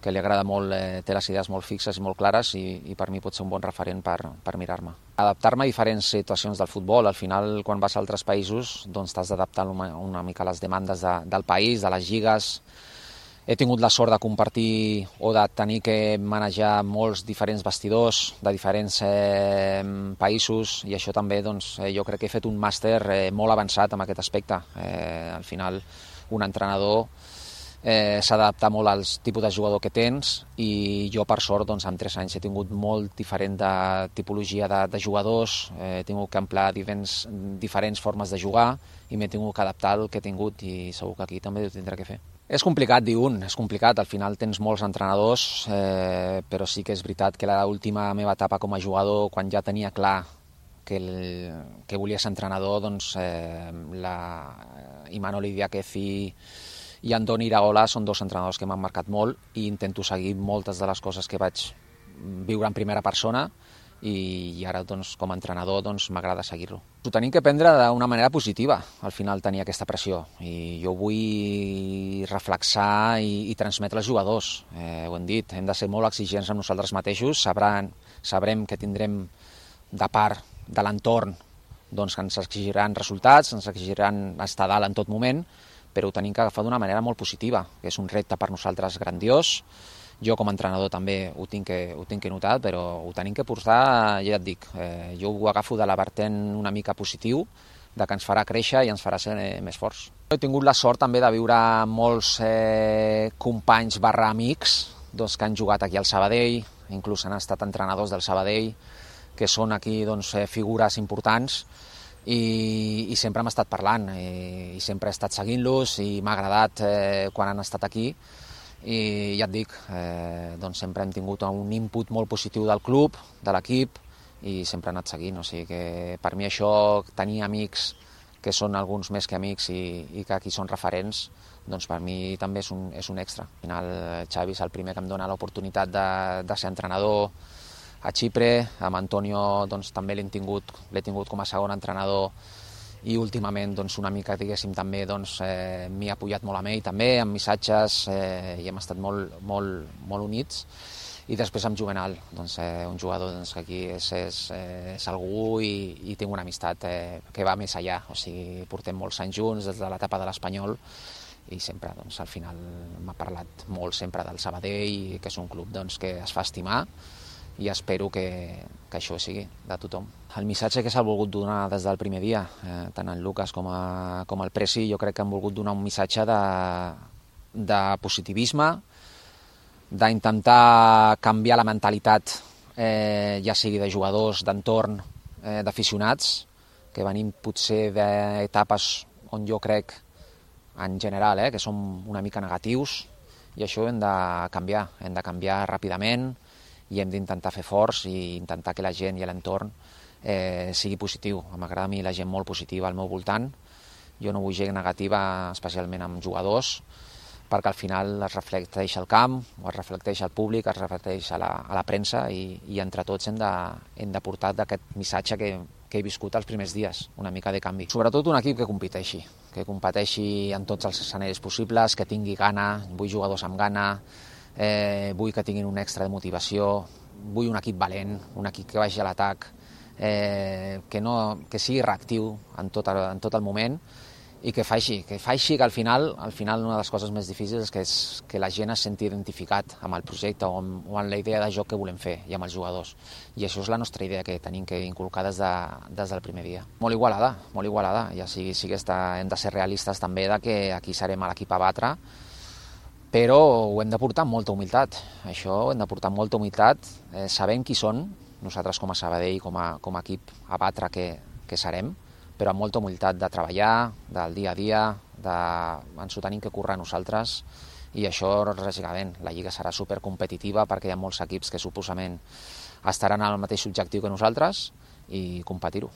que li agrada molt, eh, té les idees molt fixes i molt clares i, i per mi pot ser un bon referent per, per mirar-me. Adaptar-me a diferents situacions del futbol. Al final, quan vas a altres països, doncs t'has d'adaptar una, una mica a les demandes de, del país, de les lligues. He tingut la sort de compartir o de tenir que manejar molts diferents vestidors de diferents eh, països i això també doncs, eh, jo crec que he fet un màster eh, molt avançat en aquest aspecte. Eh, al final un entrenador eh, s'ha d'adaptar molt als tipus de jugador que tens i jo per sort doncs, en tres anys he tingut molt diferent de tipologia de, de jugadors, eh, he tingut que emplear diferents, diferents formes de jugar i m'he tingut que adaptar al que he tingut i segur que aquí també ho tindré que fer. És complicat dir un, és complicat, al final tens molts entrenadors, eh, però sí que és veritat que l'última meva etapa com a jugador, quan ja tenia clar que, el, que volia ser entrenador, doncs eh, la, Imanol Idiáquez i, i Andoni Iraola són dos entrenadors que m'han marcat molt i intento seguir moltes de les coses que vaig viure en primera persona i, i ara doncs, com a entrenador doncs, m'agrada seguir-lo. Ho tenim que prendre d'una manera positiva, al final tenir aquesta pressió, i jo vull reflexar i, i transmetre als jugadors. Eh, ho hem dit, hem de ser molt exigents amb nosaltres mateixos, sabran, sabrem que tindrem de part de l'entorn doncs, que ens exigiran resultats, ens exigiran estar dalt en tot moment, però ho tenim que agafar d'una manera molt positiva, que és un repte per nosaltres grandiós, Jo com a entrenador també ho tinc que, ho tinc que notar, però ho tenim que portar, ja et dic, eh, jo ho agafo de la vertent una mica positiu, de que ens farà créixer i ens farà ser eh, més forts. He tingut la sort també de viure molts eh, companys barra amics doncs, que han jugat aquí al Sabadell, inclús han estat entrenadors del Sabadell, que són aquí doncs, eh, figures importants, i, i sempre hem estat parlant, i, i sempre he estat seguint-los, i m'ha agradat eh, quan han estat aquí, i ja et dic, eh, doncs sempre hem tingut un input molt positiu del club, de l'equip, i sempre he anat seguint. O sigui que per mi això, tenir amics que són alguns més que amics i, i que aquí són referents, doncs per mi també és un, és un extra. Al final, Xavi és el primer que em dona l'oportunitat de, de ser entrenador a Xipre, amb Antonio doncs, també l'he tingut, l'he tingut com a segon entrenador, i últimament doncs, una mica, diguéssim, també doncs, eh, m'hi ha apoyat molt amb ell, també, amb missatges, eh, i hem estat molt, molt, molt units. I després amb Juvenal, doncs, eh, un jugador doncs, que aquí és, és, eh, és algú i, i tinc una amistat eh, que va més allà. O sigui, portem molts anys junts des de l'etapa de l'Espanyol i sempre, doncs, al final m'ha parlat molt sempre del Sabadell, que és un club doncs, que es fa estimar, i espero que, que això sigui de tothom. El missatge que s'ha volgut donar des del primer dia, eh, tant en Lucas com, a, com el Presi, jo crec que han volgut donar un missatge de, de positivisme, d'intentar canviar la mentalitat, eh, ja sigui de jugadors, d'entorn, eh, d'aficionats, que venim potser d'etapes on jo crec, en general, eh, que som una mica negatius, i això ho hem de canviar, hem de canviar ràpidament, i hem d'intentar fer forts i intentar que la gent i l'entorn eh, sigui positiu. M'agrada a mi la gent molt positiva al meu voltant. Jo no vull gent negativa, especialment amb jugadors, perquè al final es reflecteix al camp, o es reflecteix al públic, es reflecteix a la, a la premsa, i, i entre tots hem de, hem de portar d'aquest missatge que, que he viscut els primers dies, una mica de canvi. Sobretot un equip que competeixi, que competeixi en tots els escenaris possibles, que tingui gana, vull jugadors amb gana, Eh, vull que tinguin un extra de motivació, vull un equip valent, un equip que vagi a l'atac, eh, que, no, que sigui reactiu en tot, en tot el moment, i que faci, que faci que al final, al final una de les coses més difícils és que, és que la gent es senti identificat amb el projecte o amb, o amb la idea de joc que volem fer i amb els jugadors. I això és la nostra idea que tenim que inculcar des, de, des del primer dia. Molt igualada, molt igualada. Ja sí, sí que està, hem de ser realistes també de que aquí serem l'equip a batre, però ho hem de portar amb molta humilitat. Això ho hem de portar amb molta humilitat, eh, sabent qui són, nosaltres com a Sabadell, com a, com a equip a batre que, que serem, però amb molta humilitat de treballar, del dia a dia, de... ens ho tenim que currar nosaltres, i això, lògicament, la Lliga serà supercompetitiva perquè hi ha molts equips que suposament estaran al mateix objectiu que nosaltres, i competir-ho.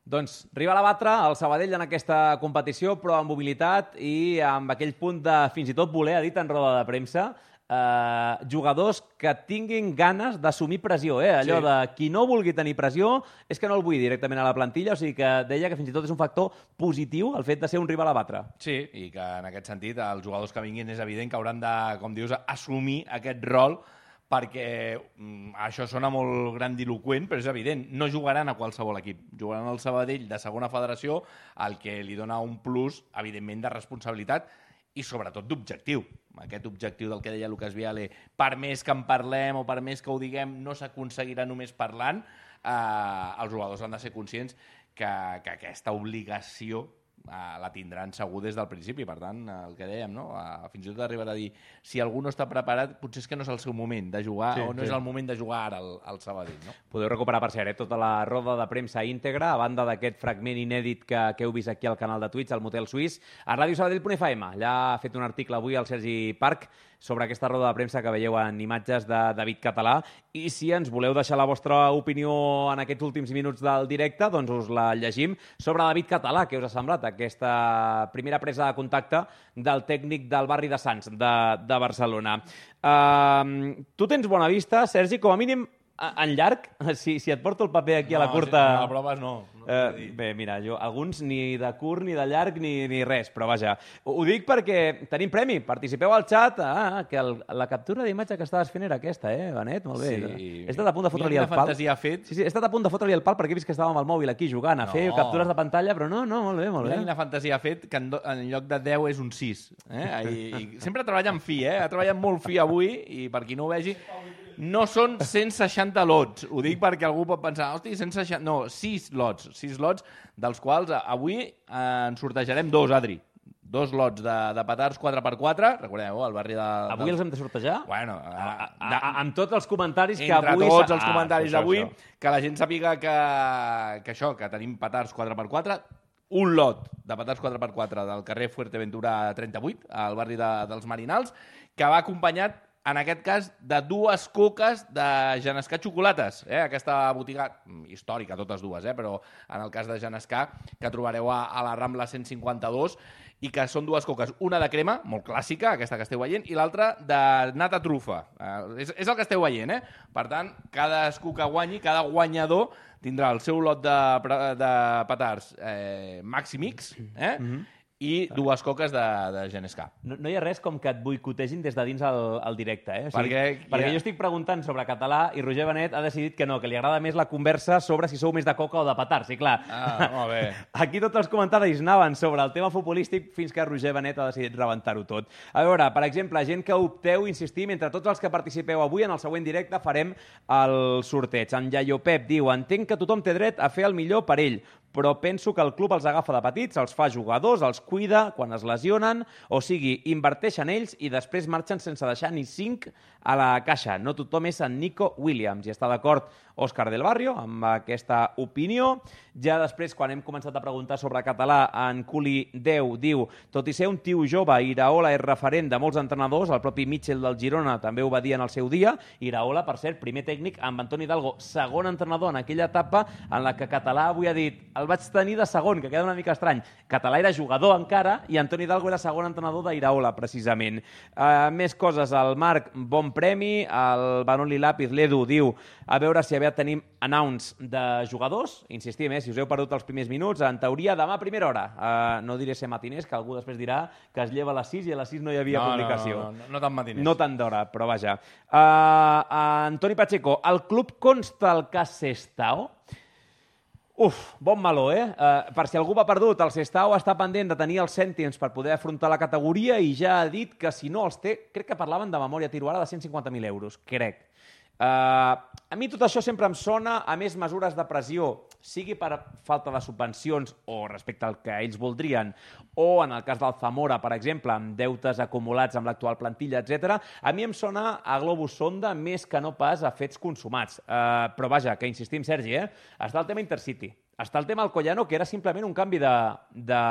Doncs rival a batre el Sabadell en aquesta competició, però amb humilitat i amb aquell punt de fins i tot voler, ha dit en roda de premsa, eh, jugadors que tinguin ganes d'assumir pressió. Eh? Allò sí. De qui no vulgui tenir pressió és que no el vull directament a la plantilla, o sigui que deia que fins i tot és un factor positiu el fet de ser un rival a batre. Sí, i que en aquest sentit els jugadors que vinguin és evident que hauran de, com dius, assumir aquest rol, perquè mm, això sona molt grandiloqüent, però és evident, no jugaran a qualsevol equip, jugaran al Sabadell de segona federació, el que li dona un plus, evidentment, de responsabilitat i sobretot d'objectiu. Aquest objectiu del que deia Lucas Viale, per més que en parlem o per més que ho diguem, no s'aconseguirà només parlant, eh, els jugadors han de ser conscients que, que aquesta obligació Uh, la tindran segur des del principi. Per tant, el que dèiem, no? Uh, fins i tot arribarà a dir, si algú no està preparat, potser és que no és el seu moment de jugar, sí, o no sí. És el moment de jugar ara al, al Sabadell, no? Podeu recuperar, per cert, eh, tota la roda de premsa íntegra, a banda d'aquest fragment inèdit que, que heu vist aquí al canal de Twitch, al Motel Suís, a ràdio sabadell punt f m. Allà ha fet un article avui al Sergi Parc sobre aquesta roda de premsa que veieu en imatges de David Català, i si ens voleu deixar la vostra opinió en aquests últims minuts del directe, doncs us la llegim sobre David Català. Què us ha semblat aquesta primera presa de contacte del tècnic del barri de Sants, de, de Barcelona? Uh, tu tens bona vista, Sergi, com a mínim En llarg, si, si et porto el paper aquí a la curta... No, a proves no. no eh, bé, mira, jo, alguns ni de curt, ni de llarg, ni, ni res, però vaja. Ho, ho dic perquè tenim premi, participeu al xat. Ah, que el, la captura d'imatge que estaves fent era aquesta, eh, Benet? Molt bé. Sí. He estat a punt de fotre-li el pal. fantasia fet. Sí, sí, he estat a punt de fotre-li el pal perquè he vist que estàvem amb el mòbil aquí jugant a No. fer captures de pantalla, però no, no, molt bé, molt Mira bé. quina fantasia ha fet, que en, do, en lloc de deu és un sis. Eh? I, i sempre treballa amb fi, eh? Ha treballat molt fi avui, i per qui no ho vegi, no són cent seixanta lots. Ho dic perquè algú pot pensar, hosti, cent seixanta... No, sis lots. sis lots, dels quals avui eh, en sortejarem dos, Adri. Dos lots de, de petards quatre per quatre. Recordeu, al barri de... Avui els hem de sortejar? Bueno, A, a, a, a, amb tots els comentaris que entre avui... tots s'ha- els comentaris Ah, això, d'avui, això. que la gent sàpiga que, que això, que tenim petards quatre per quatre, un lot de petards quatre per quatre del carrer Fuerteventura trenta-vuit, al barri de, dels Marinals, que va acompanyat, en aquest cas, de dues coques de Genescà Xocolates. Eh? Aquesta botiga històrica, totes dues, eh? Però en el cas de Genescà, que trobareu a, a la Rambla cent cinquanta-dos, i que són dues coques, una de crema, molt clàssica, aquesta que esteu veient, i l'altra de nata trufa. Eh, és, és el que esteu veient, eh? Per tant, cadascú que guanyi, cada guanyador tindrà el seu lot de, de petards eh, Maxi Mix, eh? Mm-hmm. i dues coques de, de Genescà. No, no hi ha res com que et boicotegin des de dins el, el directe, eh? O sigui, Perquè- perquè ja- jo estic preguntant sobre català i Roger Benet ha decidit que no, que li agrada més la conversa sobre si sou més de coca o de petards. I clar, Ah, molt bé. aquí tots els comentaris anaven sobre el tema futbolístic fins que Roger Benet ha decidit rebentar-ho tot. A veure, per exemple, gent que opteu, insistim, entre tots els que participeu avui en el següent directe farem el sorteig. En Iaio Pep diu: entenc que tothom té dret a fer el millor per ell, però penso que el club els agafa de petits, els fa jugadors, els cuida quan es lesionen, o sigui, inverteix en ells i després marxen sense deixar ni cinc a la caixa. No tothom és en Nico Williams. I està d'acord Òscar del Barrio amb aquesta opinió. Ja després, quan hem començat a preguntar sobre català, en Culi deu diu: tot i ser un tio jove, Iraola és referent de molts entrenadors, el propi Mitchell del Girona també ho va dir en el seu dia. Iraola, per cert, primer tècnic amb Antoni Hidalgo, segon entrenador en aquella etapa en la que Català avui ha dit: el vaig tenir de segon, que queda una mica estrany. Català era jugador encara i Antoni Hidalgo era segon entrenador d'Iraola, precisament. Uh, més coses, el Marc, bon premi, el Banoli Lápiz, l'Edu, diu: a veure si aviat tenim announce de jugadors. Insistim, eh, si us heu perdut els primers minuts, en teoria demà a primera hora. Uh, no diré ser matiners, que algú després dirà que es lleva a les sis i a les sis no hi havia No, publicació. no, no, no, no tan matiners. No tant d'hora, però vaja. Uh, Antoni Pacheco, el club consta el cas Sestao? Uf, bon meló, eh? Uh, per si algú va perdut, el Sestao està pendent de tenir els cèntims per poder afrontar la categoria i ja ha dit que si no els té, crec que parlaven de memòria tiro ara de cent cinquanta mil euros, crec. Uh, a mi tot això sempre em sona a més mesures de pressió, sigui per falta de subvencions o respecte al que ells voldrien, o en el cas del Zamora, per exemple, amb deutes acumulats amb l'actual plantilla, etcètera. A mi em sona a globus sonda més que no pas a fets consumats. Uh, però vaja, que insistim, Sergi, eh? Està el tema Intercity. Està el tema Alcoyano, que era simplement un canvi de, de,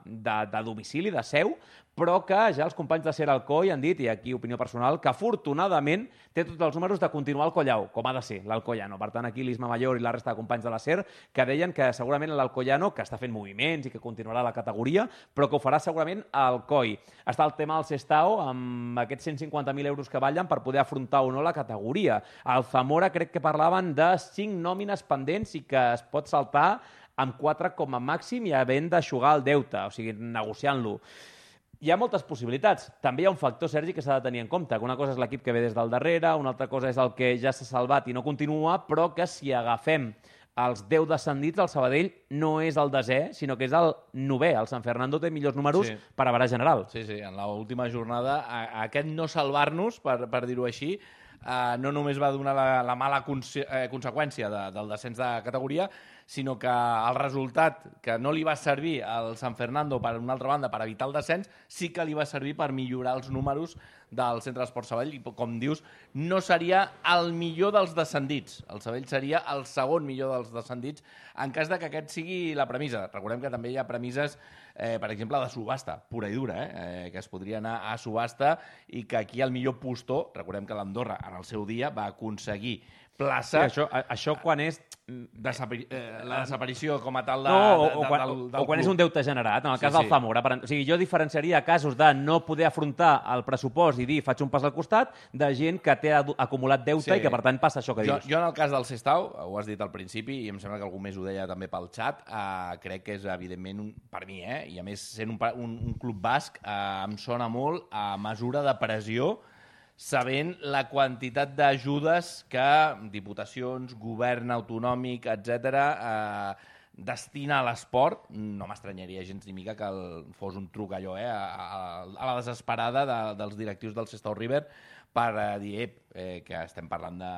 de, de domicili, de seu, però que ja els companys de Ser Alcoi han dit, i aquí opinió personal, que afortunadament té tots els números de continuar al Collau, com ha de ser l'Alcoyano. Per tant, aquí l'Isma Mayor i la resta de companys de la Ser que deien que segurament l'Alcoyano, que està fent moviments i que continuarà la categoria, però que ho farà segurament al Coi. Està el tema del Sestao, amb aquests cent cinquanta mil euros que ballen per poder afrontar o no la categoria. Al Zamora crec que parlaven de cinc nòmines pendents i que es pot saltar amb quatre com a màxim i havent d'aixugar el deute, o sigui, negociant-lo. Hi ha moltes possibilitats. També hi ha un factor, Sergi, que s'ha de tenir en compte. Que una cosa és l'equip que ve des del darrere, una altra cosa és el que ja s'ha salvat i no continua, però que si agafem els deu descendits, el Sabadell no és el desè, sinó que és el novè. El San Fernando té millors números Sí. per average general. Sí, sí, en l'última jornada, a, a aquest no salvar-nos, per, per dir-ho així, eh, no només va donar la, la mala conse eh, conseqüència de, del descens de categoria, sinó que el resultat que no li va servir al San Fernando, per una altra banda, per evitar el descens, sí que li va servir per millorar els números del Centre d'Esport Sabadell i, com dius, no seria el millor dels descendits. El Sabadell seria el segon millor dels descendits en cas de que aquest sigui la premissa. Recordem que també hi ha premisses, eh, per exemple, de subhasta, pura i dura, eh, eh, que es podria anar a subhasta i que aquí el millor postor, recordem que l'Andorra en el seu dia va aconseguir plaça... Sí, això, a- això quan és Desapari eh, la desaparició com a tal de, no, o, de, o, de, quan, del, del o quan és un deute generat, en el Sí, cas sí. del Zamora. Per, o sigui, jo diferenciaria casos de no poder afrontar el pressupost i dir faig un pas al costat, de gent que té adu- acumulat deute Sí. i que per tant passa això que Jo, dius. jo en el cas del Sestao, ho has dit al principi, i em sembla que algú més ho deia també pel xat, eh, crec que és evidentment, un, per mi, eh, i a més sent un, pa- un, un club basc, eh, em sona molt a mesura de pressió, sabent la quantitat d'ajudes que diputacions, govern autonòmic, etcètera, eh, destina a l'esport. No m'estranyaria gens ni mica que el, fos un truc allò, eh, a, a, a la desesperada de, dels directius del Sestao River per eh, dir eh, eh, que estem parlant de,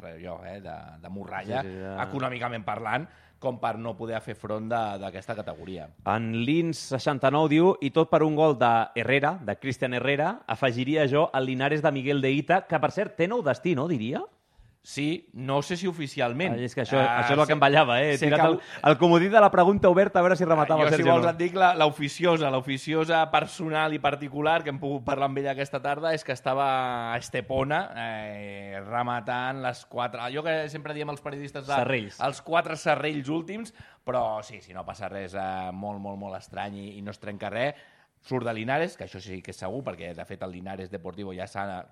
de, allò, eh, de, de morralla, Sí, sí, de- econòmicament parlant, com per no poder fer front de- d'aquesta categoria. En Lins seixanta-nou diu, i tot per un gol de Herrera, de Cristian Herrera, afegiria jo el Linares de Miguel de Ita, que per cert té nou destí, no, diria? Sí, no sé si oficialment. Ah, és que això, Ah, això és el sé- que em ballava, eh? He sé tirat que- el, el comodí de la pregunta oberta a veure si rematava jo, el si Sergio. vols, no. et dic la- l'oficiosa, l'oficiosa personal i particular que hem pogut parlar amb ella aquesta tarda és que estava a Estepona eh, rematant les quatre... Allò que sempre diem els periodistes... De, Serrells. Els quatre serrells últims, però sí, si no passa res eh, molt, molt, molt estrany i, i no es trenca res, surt de Linares, que això sí que és segur, perquè de fet el Linares Deportivo ja s'ha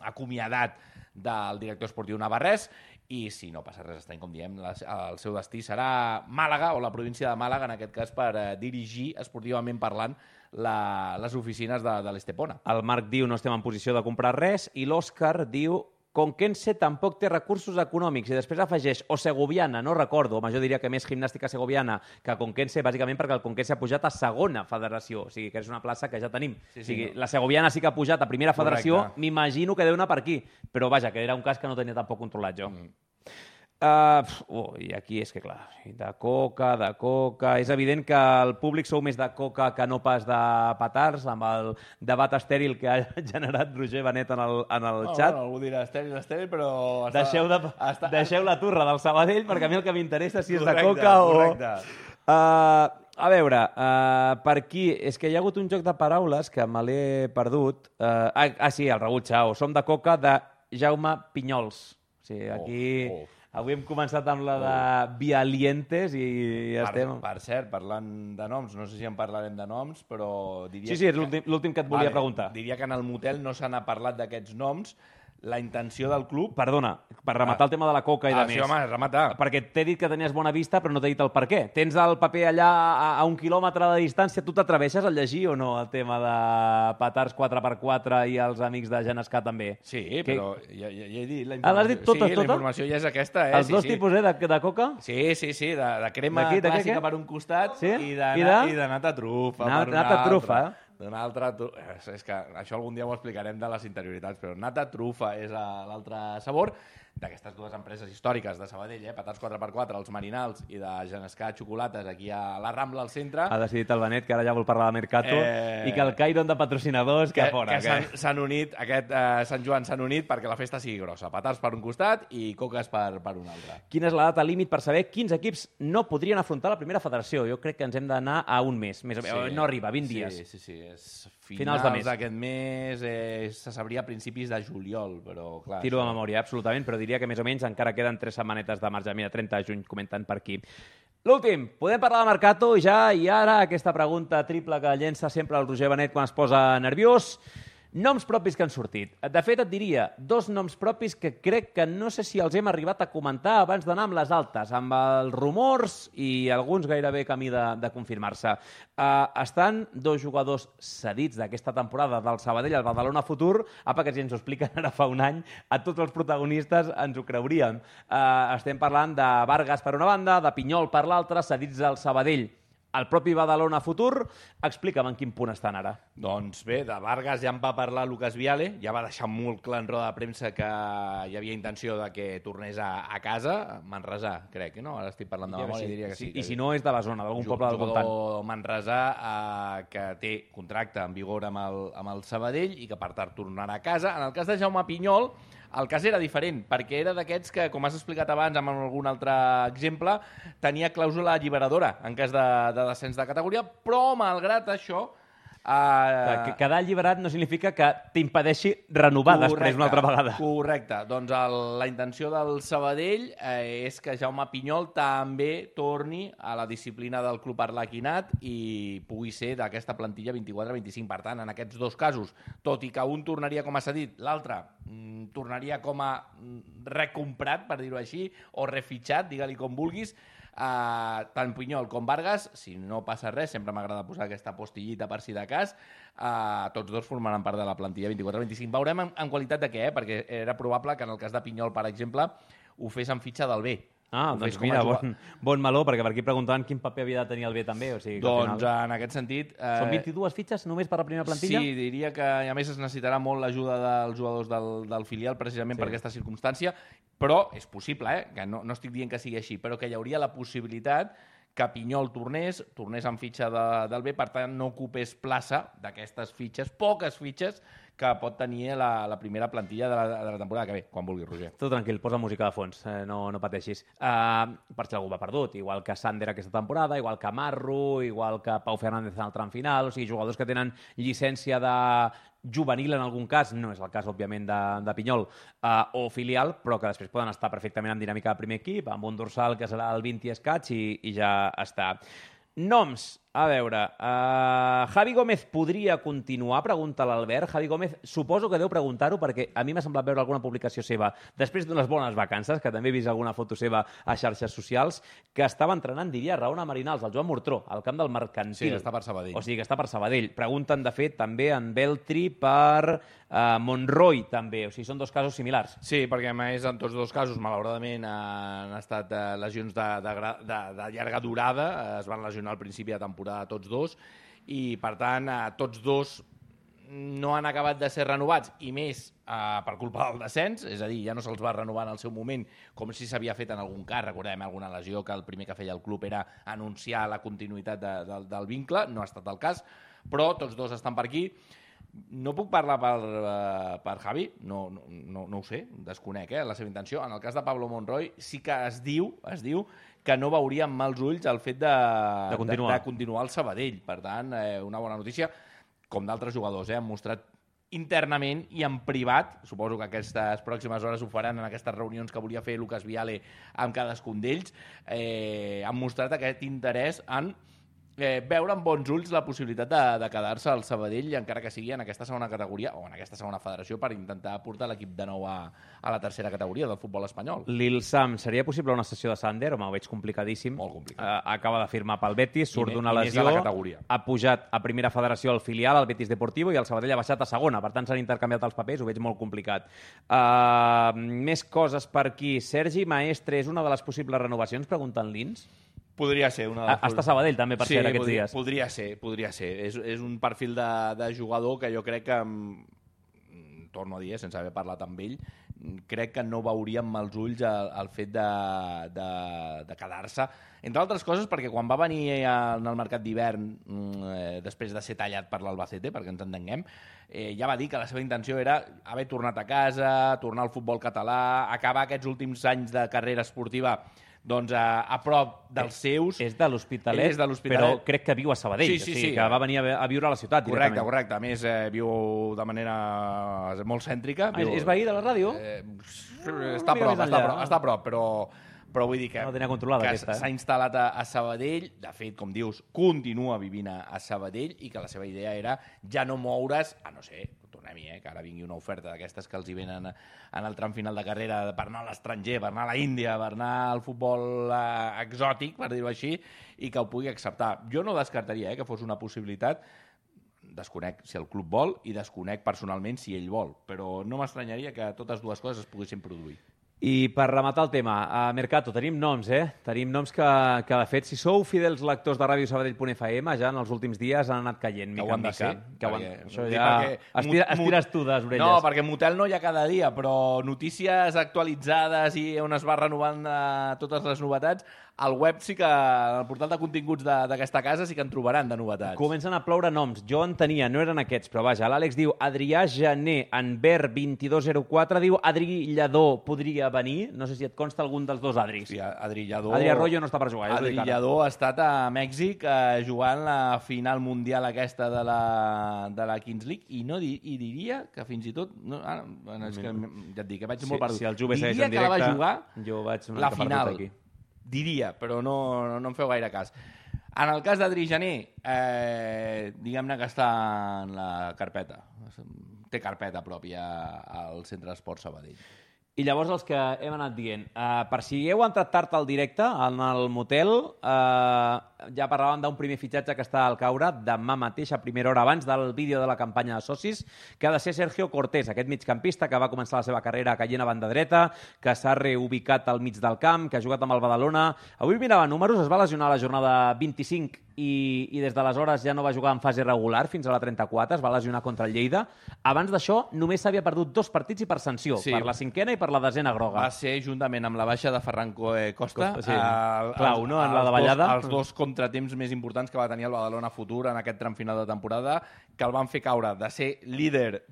acomiadat del director esportiu navarrès, i si no passa res estrany, com diem, la, el seu destí serà Màlaga, o la província de Màlaga, en aquest cas, per eh, dirigir, esportivament parlant, la, les oficines de, de l'Estepona. El Marc diu no estem en posició de comprar res i l'Òscar diu Conquense tampoc té recursos econòmics i després afegeix o Segoviana, no recordo, home, jo diria que més gimnàstica segoviana que Conquense, bàsicament perquè el Conquense ha pujat a segona federació, o sigui que és una plaça que ja tenim. Sí, sí, o sigui, no. la segoviana sí que ha pujat a primera federació, Correcte. m'imagino que deu anar per aquí, però vaja, que era un cas que no tenia tampoc controlat jo. Mm. Uh, oh, I aquí és que, clar, de coca, de coca... És evident que el públic sou més de coca que no pas de petards, amb el debat estèril que ha generat Roger Benet en el, en el Oh, xat. bueno, algú dirà estèril, estèril, però... Deixeu, de, està- deixeu la turra del Sabadell, perquè a mi el que m'interessa si és de Correcte, coca o... correcte. Uh, a veure, uh, per aquí... És que hi ha hagut un joc de paraules que me l'he perdut. Uh, ah, ah, sí, el Raül Chao. Som de coca de Jaume Pinyols. O sigui, aquí... Oh, oh. Avui hem començat amb la de Vialientes i ja Per, estem... per cert, parlant de noms, no sé si en parlarem de noms, però diria... Sí, sí, és l'últim l'últim que et volia Vale, preguntar. Diria que en el motel no se n'ha parlat d'aquests noms. La intenció del club... Perdona, per rematar Ah. el tema de la coca i Ah, de sí, més. home, remata. Perquè t'he dit que tenies bona vista, però no t'he dit el per què. Tens el paper allà a, a un quilòmetre de distància, tu t'atreveixes a llegir o no el tema de petards quatre per quatre i els amics de Genescà també? Sí, Que- però ja, ja, ja he dit la informació. Ah, l'has dit tota, sí, tota? la informació ja és aquesta, eh? Els sí, dos sí. tipus, eh, de, de coca? Sí, sí, sí, de, de crema D'aquí, de què, clàssica què? per un costat Sí? i, de, I de? i de nata trufa Na- per un nata altre. trufa, eh? D'un altre... tru- És, és que això algun dia ho explicarem de les interioritats, però nata trufa és a- l'altre sabor d'aquestes dues empreses històriques de Sabadell, eh? Petards quatre per quatre, els Marinals, i de Genescà Xocolates, aquí a la Rambla, al centre. Ha decidit el Benet que ara ja vol parlar de Mercato Eh, i que el Cairon de patrocinadors que, que, fora. que s'han- s'han unit, aquest eh, Sant Joan s'han unit perquè la festa sigui grossa. Petards per un costat i coques per, per un altre. Quina és la data límit per saber quins equips no podrien afrontar la primera federació? Jo crec que ens hem d'anar a un mes. Més o menys. No arriba, vint dies. Sí, sí, sí. És Finals finals, de mes. d'aquest mes, eh, se sabria a principis de juliol, però clar... Tiro de això- memòria, absolutament, però diria que més o menys encara queden tres setmanetes de marge. Mira, trenta de juny, comenten per aquí. L'últim, podem parlar de Mercato ja i ara aquesta pregunta triple que llença sempre el Roger Benet quan es posa nerviós. Noms propis que han sortit. De fet, et diria dos noms propis que crec que no sé si els hem arribat a comentar abans d'anar amb les altes, amb els rumors i alguns gairebé camí de, de confirmar-se. Uh, estan dos jugadors cedits d'aquesta temporada del Sabadell al Badalona Futur. Apa, que si ens ho expliquen ara fa un any, a tots els protagonistes ens ho creuríem. Uh, estem parlant de Vargas per una banda, de Pinyol per l'altra, cedits al Sabadell. El propi Badalona Futur, explica'm en quin punt estan ara. Doncs bé, de Vargas ja en va parlar Lucas Viale, ja va deixar molt clar en roda de premsa que hi havia intenció de que tornés a, a casa, Manresà, crec, no? Ara estic parlant de memòria, diria que sí. I si no és de la zona, d'algun poble del voltant. Jugador manresà eh, que té contracte en vigor amb el, amb el Sabadell i que per tant tornarà a casa. En el cas de Jaume Pinyol, el cas era diferent, perquè era d'aquests que, com has explicat abans amb algun altre exemple, tenia clàusula alliberadora en cas de, de descens de categoria, però malgrat això Uh, que quedar alliberat no significa que t'impedeixi renovar correcte, després una altra vegada. Correcte. Doncs el, la intenció del Sabadell eh, és que Jaume Pinyol també torni a la disciplina del club arlequinat i pugui ser d'aquesta plantilla vint-i-quatre vint-i-cinc. Per tant, en aquests dos casos, tot i que un tornaria com a cedit, l'altre mm, tornaria com a recomprat, per dir-ho així, o refitxat, digue-li com vulguis, Uh, tant Pinyol com Vargas, si no passa res, sempre m'agrada posar aquesta postillita per si de cas, uh, tots dos formaran part de la plantilla vint-i-quatre vint-i-cinc. Veurem en, en qualitat de què, eh? Perquè era probable que en el cas de Pinyol, per exemple, ho fes en fitxa del B. Ah, doncs mira, bon, bon meló, perquè per aquí preguntaven quin paper havia de tenir el B també. O sigui, doncs final... en aquest sentit... Eh... Són vint-i-dues fitxes només per la primera plantilla? Sí, diria que a més es necessitarà molt l'ajuda dels jugadors del, del filial precisament sí. per aquesta circumstància, però és possible, eh? que no, no estic dient que sigui així, però que hi hauria la possibilitat que Pinyol tornés, tornés en fitxa de, del B, per tant no ocupés plaça d'aquestes fitxes, poques fitxes, que pot tenir la, la primera plantilla de la, de la temporada que ve, quan vulgui, Roger. Tot tranquil, posa música de fons, eh, no, no pateixis. Uh, per si algú va perdut, igual que Sander aquesta temporada, igual que Marro, igual que Pau Fernández en el tram final, o sigui, jugadors que tenen llicència de juvenil en algun cas, no és el cas, òbviament, de, de Pinyol, uh, o filial, però que després poden estar perfectament en dinàmica de primer equip, amb un dorsal que serà el vint i escaig i, i ja està. Noms, a veure, uh, Javi Gómez podria continuar? Pregunta l'Albert. Javi Gómez, suposo que deu preguntar-ho perquè a mi m'ha semblat veure alguna publicació seva després d'unes bones vacances, que també he vist alguna foto seva a xarxes socials, que estava entrenant, diria, Raona Marinals, el Joan Mortró, al camp del Mercantil. Sí, està per Sabadell. O sigui, que està per Sabadell. Pregunten, de fet, també en Beltri per uh, Monroy, també. O sigui, són dos casos similars. Sí, perquè a més en tots dos casos, malauradament, han estat uh, lesions de, de, de, de llarga durada, es van lesionar al principi de temporada tots dos, i per tant eh, tots dos no han acabat de ser renovats, i més eh, per culpa del descens, és a dir, ja no se'ls va renovar en el seu moment com si s'havia fet en algun cas, recordem alguna lesió que el primer que feia el club era anunciar la continuïtat de, de, del vincle, no ha estat el cas, però tots dos estan per aquí. No puc parlar per, uh, per Javi, no, no, no, no ho sé, desconec eh, la seva intenció. En el cas de Pablo Monroy sí que es diu, es diu que no veuria amb mals ulls el fet de, de, continuar. de, de continuar al Sabadell. Per tant, eh, una bona notícia, com d'altres jugadors, eh, han mostrat internament i en privat, suposo que aquestes pròximes hores ho faran en aquestes reunions que volia fer Lucas Viale amb cadascun d'ells, eh, han mostrat aquest interès en Eh, veure amb bons ulls la possibilitat de, de quedar-se al Sabadell, encara que sigui en aquesta segona categoria o en aquesta segona federació, per intentar portar l'equip de nou a, a la tercera categoria del futbol espanyol. Lil Sam, seria possible una sessió de Sander? Home, ho veig complicadíssim. Molt complicat. Uh, acaba de firmar pel Betis, surt d'una lesió, categoria. Ha pujat a primera federació al filial, al Betis Deportivo, i el Sabadell ha baixat a segona. Per tant, s'han intercanviat els papers, ho veig molt complicat. Uh, més coses per aquí. Sergi Maestre és una de les possibles renovacions, pregunten l'Ins? Podria ser. Una de... Està a Sabadell, també, per sí, ser aquests podria, dies. Podria ser, podria ser. És, és un perfil de, de jugador que jo crec que, torno a dir, sense haver parlat amb ell, crec que no veuria amb mals ulls el, el fet de, de, de quedar-se. Entre altres coses, perquè quan va venir en el mercat d'hivern, eh, després de ser tallat per l'Albacete, perquè ens entenguem, eh, ja va dir que la seva intenció era haver tornat a casa, tornar al futbol català, acabar aquests últims anys de carrera esportiva doncs a, a prop dels seus. És de l'Hospitalet, és de l'Hospitalet, però crec que viu a Sabadell, sí, sí, o sigui, sí. que va venir a, a viure a la ciutat correcte, directament. correcte. A més, eh, viu de manera molt cèntrica. Ah, viu... És veí de la ràdio? Eh, està, a prop, està, a prop, està a prop, però... però vull dir que, no tenia controlada, que aquesta, eh? s'ha instal·lat a, a Sabadell, de fet, com dius, continua vivint a, a Sabadell, i que la seva idea era ja no moure's, a no ser, tornem-hi, eh, que ara vingui una oferta d'aquestes que els hi venen en el tram final de carrera per anar a l'estranger, per anar a la Índia, per anar al futbol eh, exòtic, per dir-ho així, i que ho pugui acceptar. Jo no descartaria eh, que fos una possibilitat, desconec si el club vol i desconec personalment si ell vol, però no m'estranyaria que totes dues coses es poguessin produir. I per rematar el tema, a Mercato tenim noms, eh? Tenim noms que, que de fet, si sou fidels lectors de ràdio sabadell punt f m, ja en els últims dies han anat caient, mica en mica. Ser, que perquè, han... Això ja... Estira, estires tu de les orelles. No, perquè Motel no hi ha cada dia, però notícies actualitzades i on es va renovant eh, totes les novetats, al web sí que, al portal de continguts d'aquesta casa sí que en trobaran de novetats. Comencen a ploure noms. Jo en tenia, no eren aquests, però vaja, l'Àlex diu Adrià Jané, en Ver vint-i-dos zero quatre diu Adri Lledó podria venir. No sé si et consta algun dels dos Adris. Sí, Adri Lledó... Adri Arroyo no està per jugar. Adri Lledó ha estat a Mèxic eh, jugant la final mundial aquesta de la, de la Kings League i no di, i diria que fins i tot... No, ara, és que, ja et dic, que vaig si, molt perdut. Si el Juve segueix diria en directe, que la va jugar jo vaig una la final. Aquí. Diria, però no, no, no em feu gaire cas. En el cas d'Adri Jané, eh, diguem-ne que està en la carpeta. Té carpeta pròpia al Centre d'Esport Sabadell. I llavors els que hem anat dient, uh, per si heu entrat tard al directe, en el motel, uh, ja parlàvem d'un primer fitxatge que està al caure demà mateix, a primera hora abans del vídeo de la campanya de socis, que ha de ser Sergio Cortés, aquest migcampista que va començar la seva carrera caient a banda dreta, que s'ha reubicat al mig del camp, que ha jugat amb el Badalona. Avui mirava números, es va lesionar a la jornada vint-i-cinc i, i des d'aleshores ja no va jugar en fase regular fins a la trenta-quatre, es va lesionar contra el Lleida. Abans d'això només s'havia perdut dos partits i per sanció, sí. per la cinquena i per la desena groga. Va ser juntament amb la baixa de Ferran Costa, Costa sí. eh, Clau, no? En la davallada. Els dos, els dos contratemps més importants que va tenir el Badalona Futur en aquest tram final de temporada, que el van fer caure de ser líder...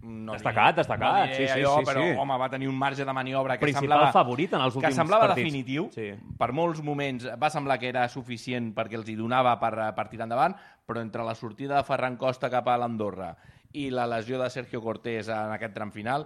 No destacat, diré, destacat, no sí, sí, allò, sí, però, sí. home, va tenir un marge de maniobra que principal semblava... favorit en els últims que semblava partits. definitiu. Sí. Per molts moments va semblar que era suficient perquè els hi donava per, per tirar endavant, però entre la sortida de Ferran Costa cap a l'Andorra i la lesió de Sergio Cortés en aquest tram final,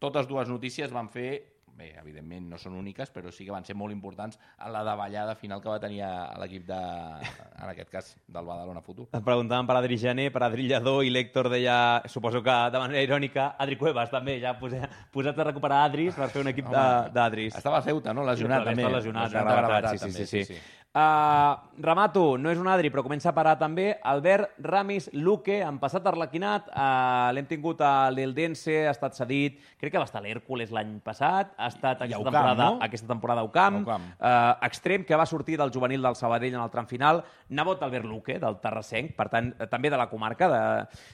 totes dues notícies van fer... Bé, evidentment no són úniques, però sí que van ser molt importants en la davallada final que va tenir a l'equip de, en aquest cas, del Badalona Futur. Em preguntaven per Adri Jané, per Adri Lledó, i l'Héctor deia, suposo que de manera irònica, Adri Cuevas també, ja posat, posat a recuperar Adris per fer un equip d'Adris. Estava a Ceuta, no? Lesionat també. Està lesionat, lesionat de gravetat, sí, sí, sí, sí. sí. sí. Uh, remato, no és un Adri, però comença a parar també. Albert Ramis Luque, en passat arlequinat, uh, l'hem tingut a l'Eldense, ha estat cedit, crec que va estar a l'Hèrcules l'any passat, ha estat aquesta, Ucam, temporada, no? aquesta temporada a Ucam, Ucam. Uh, extrem, que va sortir del juvenil del Sabadell en el tram final, nebot Albert Luque, del Terrassenc, per tant, també de la comarca, de...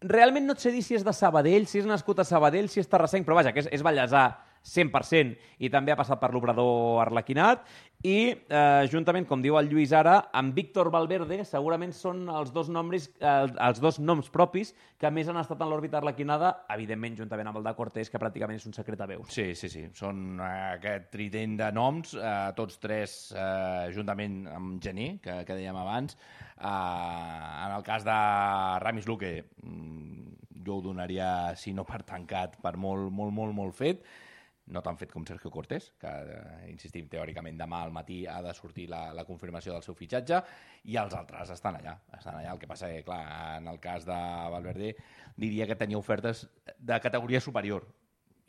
Realment no et sé dir si és de Sabadell, si és nascut a Sabadell, si és terrassenc, però vaja, que és, és ballesà cent per cent i també ha passat per l'obrador arlequinat i, eh, juntament, com diu el Lluís ara, amb Víctor Valverde segurament són els dos noms, eh, els dos noms propis que més han estat en l'òrbita arlequinada, evidentment juntament amb el de Cortés, que pràcticament és un secret a veus. Sí, sí, sí. Són eh, aquest trident de noms, eh, tots tres eh, juntament amb Gené, que, que dèiem abans. Eh, en el cas de Ramis Luque, jo ho donaria, si no per tancat, per molt, molt, molt, molt fet. No tan fet com Sergio Cortés, que, eh, insistim, teòricament demà al matí ha de sortir la, la confirmació del seu fitxatge, i els altres estan allà. Estan allà. El que passa que, clar, en el cas de Valverde, diria que tenia ofertes de categoria superior.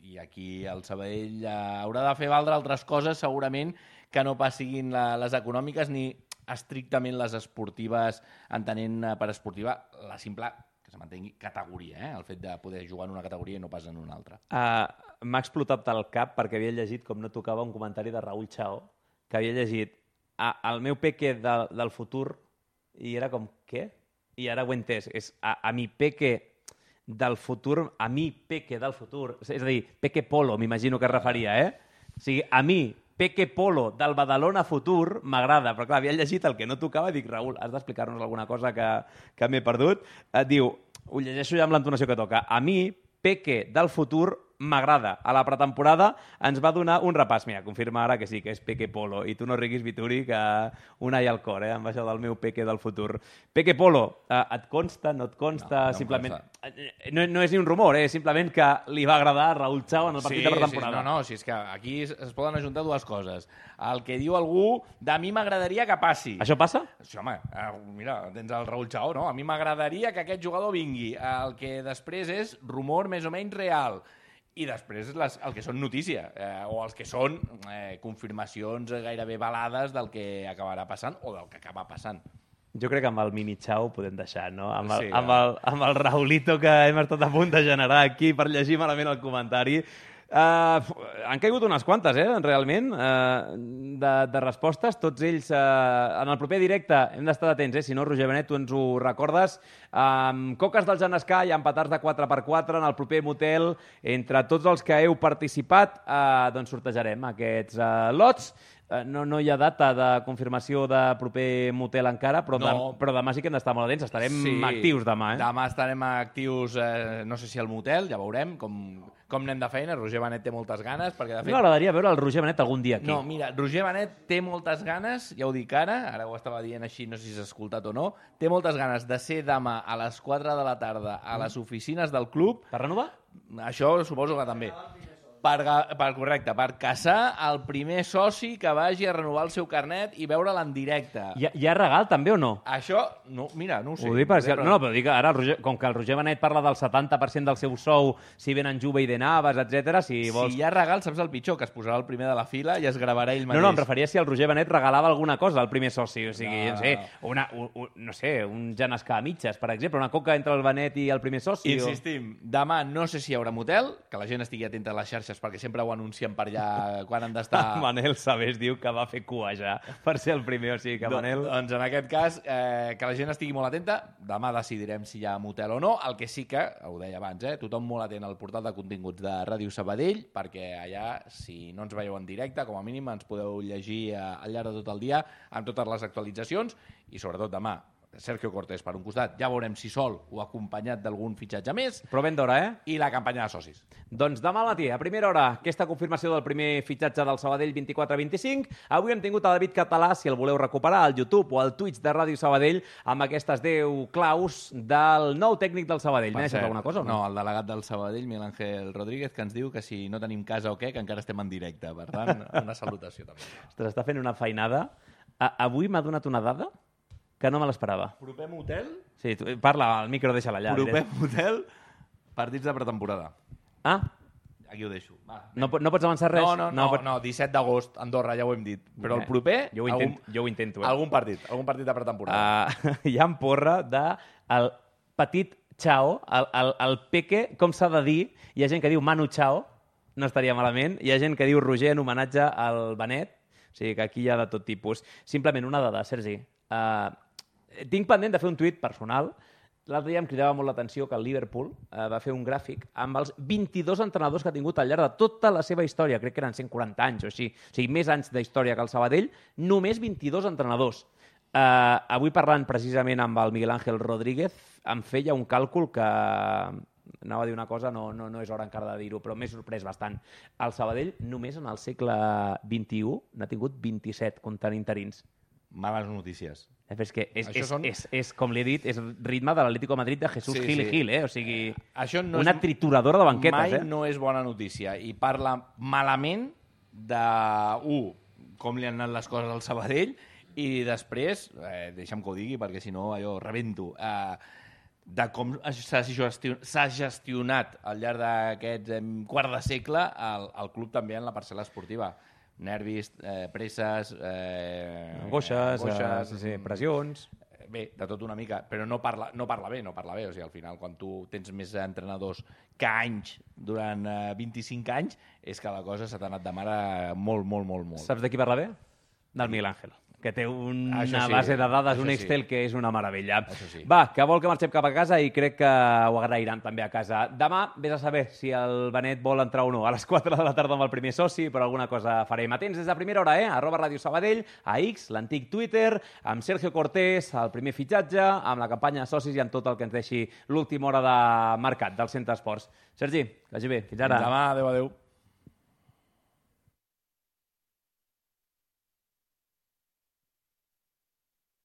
I aquí el Sabadell eh, haurà de fer valdre altres coses, segurament, que no pas siguin la, les econòmiques ni estrictament les esportives, entenent eh, per esportiva la simple que se mantengui categoria, eh? El fet de poder jugar en una categoria i no pas en una altra. Uh, M'ha explotat el cap perquè havia llegit, com no tocava, un comentari de Raúl Chao, que havia llegit a, el meu peque de, del futur, i era com, què? I ara ho he entès. És a, a mi peque del futur, a mi peque del futur, és a dir, peque polo, m'imagino que es referia, eh? O sigui, a mi, peque polo del Badalona Futur, m'agrada, però clar, havia llegit el que no tocava i dic, Raúl, has d'explicar-nos alguna cosa que, que m'he perdut. Et diu, ho llegeixo ja amb l'entonació que toca, a mi, peque del futur, m'agrada. A la pretemporada ens va donar un repàs. Mira, confirma ara que sí, que és Peque Polo. I tu no riguis, Vituri, que una hi al cor, eh? Amb això del meu Peque del futur. Peque Polo, eh, et consta, no et consta? No, no simplement... No, no és ni un rumor, eh? Simplement que li va agradar a Raúl Chao en el partit sí, de pretemporada. Sí, no, no, si és que aquí es, es poden ajuntar dues coses. El que diu algú, de mi m'agradaria que passi. Això passa? Sí, home, eh, mira, tens el Raúl Chao, no? A mi m'agradaria que aquest jugador vingui. El que després és rumor més o menys real. I després les, el que són notícia, eh, o els que són eh, confirmacions gairebé balades del que acabarà passant o del que acaba passant. Jo crec que amb el mini Chao ho podem deixar, no? Amb el, sí, amb, el, amb el Raulito que hem estat a punt de generar aquí per llegir malament el comentari. Uh, han caigut unes quantes, eh, realment, uh, de, de respostes. Tots ells, uh, en el proper directe, hem d'estar atents, eh? Si no, Roger Benet, tu ens ho recordes. Um, Coques del Genescà i empatats de quatre per quatre en el proper motel. Entre tots els que heu participat, uh, doncs sortejarem aquests uh, lots. Uh, no, no hi ha data de confirmació de proper motel encara, però, No. de, però demà sí que hem d'estar molt atents. Estarem Sí. actius demà, eh? Demà estarem actius, eh, no sé si al motel, ja veurem com, com anem de feina. Roger Benet té moltes ganes, perquè de fet... M'agradaria veure el Roger Benet algun dia aquí. No, mira, Roger Benet té moltes ganes, ja ho dic ara, ara ho estava dient així, no sé si s'ha escoltat o no, té moltes ganes de ser demà a les quatre de la tarda a les oficines del club. Per renovar? Això suposo que també. Per, ga- per, correcte, per caçar el primer soci que vagi a renovar el seu carnet i veure'l en directe. Hi ha, hi ha regal també o no? Això, no, mira, no ho sé. Ho dic perquè, Però- no, però dic que ara, el Roger, com que el Roger Benet parla del setanta per cent del seu sou, si venen Juve i de Navas, etcètera, si vols... Si hi ha regal, saps el pitjor? Que es posarà el primer de la fila i es gravarà ell No, mateix. no, em referia si el Roger Benet regalava alguna cosa al primer soci, o sigui, No. no sé, una, un, un, no sé, un Genescà a mitges, per exemple, una coca entre el Benet i el primer soci. Insistim, demà no sé si hi haurà motel, que la gent estigui atenta a les xarxes perquè sempre ho anuncien per allà quan han d'estar... O... Manel Sabés diu que va fer cua ja per ser el primer, o sigui que Manel... Do, doncs en aquest cas, eh, que la gent estigui molt atenta, demà decidirem si hi ha motel o no, el que sí que, ho deia abans, eh, tothom molt atent al portal de continguts de Ràdio Sabadell, perquè allà, si no ens veieu en directe, com a mínim ens podeu llegir eh, al llarg de tot el dia amb totes les actualitzacions i sobretot demà, Sergio Cortés per un costat, ja veurem si sol o acompanyat d'algun fitxatge més, Però ben d'hora, eh? i la campanya de socis. Doncs demà al matí, a primera hora, aquesta confirmació del primer fitxatge del Sabadell vint-i-quatre vint-i-cinc. Avui hem tingut a David Català, si el voleu recuperar, al YouTube o al Twitch de Ràdio Sabadell, amb aquestes deu claus del nou tècnic del Sabadell. M'he deixat alguna cosa o no? No, el delegat del Sabadell, Miguel Ángel Rodríguez, que ens diu que si no tenim casa o què, que encara estem en directe. Per tant, una salutació també. Ostres, està fent una feinada. A avui m'ha donat una dada que no me l'esperava. Proper motel? Sí, tu, parla, al micro deixa-la allà. Proper diré. motel, partits de pretemporada. Ah, Aquí ho deixo. Va. no, po- no pots avançar res? No, no, no, pot- no, disset d'agost, Andorra, ja ho hem dit. Però el Eh, proper, jo ho intent- jo ho intento, eh. algun partit, algun partit de pretemporada. Uh, hi ha porra de el petit Chao, el, el, el Peque, com s'ha de dir? Hi ha gent que diu Manu Chao, no estaria malament. Hi ha gent que diu Roger en homenatge al Benet. O sigui que aquí hi ha de tot tipus. Simplement una dada, Sergi. Uh, tinc pendent de fer un tuit personal. L'altre dia em cridava molt l'atenció que el Liverpool uh, va fer un gràfic amb els vint-i-dos entrenadors que ha tingut al llarg de tota la seva història. Crec que eren cent quaranta anys o així. O sigui, més anys d'història que el Sabadell. Només vint-i-dos entrenadors. Uh, avui parlant precisament amb el Miguel Ángel Rodríguez, em feia un càlcul que anava a dir una cosa, no, no, no és hora encara de dir-ho, però m'he sorprès bastant. El Sabadell només en el segle vint-i-u n'ha tingut vint-i-set comptant interins. Males notícies. Eh, però és que és, Això és, són- és, és, com li he dit, és ritme de l'Atlético de Madrid de Jesús Sí, Gil i sí. Gil, eh? O sigui, Això no una és- trituradora de banquetes, Mai eh? no és bona notícia. I parla malament de, un, com li han anat les coses al Sabadell, i després, eh, deixa'm que ho digui, perquè si no allò rebento, eh, de com s'ha gestio- s'ha gestionat al llarg d'aquest eh, quart de segle el, el club també en la parcel·la esportiva. Nervis, eh, presses... Eh, Angoixes, angoixes, eh, sí, sí, pressions... Bé, de tot una mica, però no parla, no parla bé, no parla bé. O sigui, al final, quan tu tens més entrenadors que anys durant eh, vint-i-cinc anys, és que la cosa s'ha anat de mare molt, molt, molt, molt. Saps de qui parla bé? Del Miguel Ángel, que té una Això sí, base de dades, això un sí. Excel que és una meravella. Això sí. Va, que vol que marxem cap a casa i crec que ho agrairan també a casa. Demà vés a saber si el Benet vol entrar o no. A les quatre de la tarda amb el primer soci, però alguna cosa farem. Atents des de primera hora, eh? Arroba Ràdio Sabadell, a X, l'antic Twitter, amb Sergio Cortés, el primer fitxatge, amb la campanya de socis i amb tot el que ens deixi l'última hora de mercat del Centre Esports. Sergi, que vagi bé. Fins ara. Demà, adéu, adéu.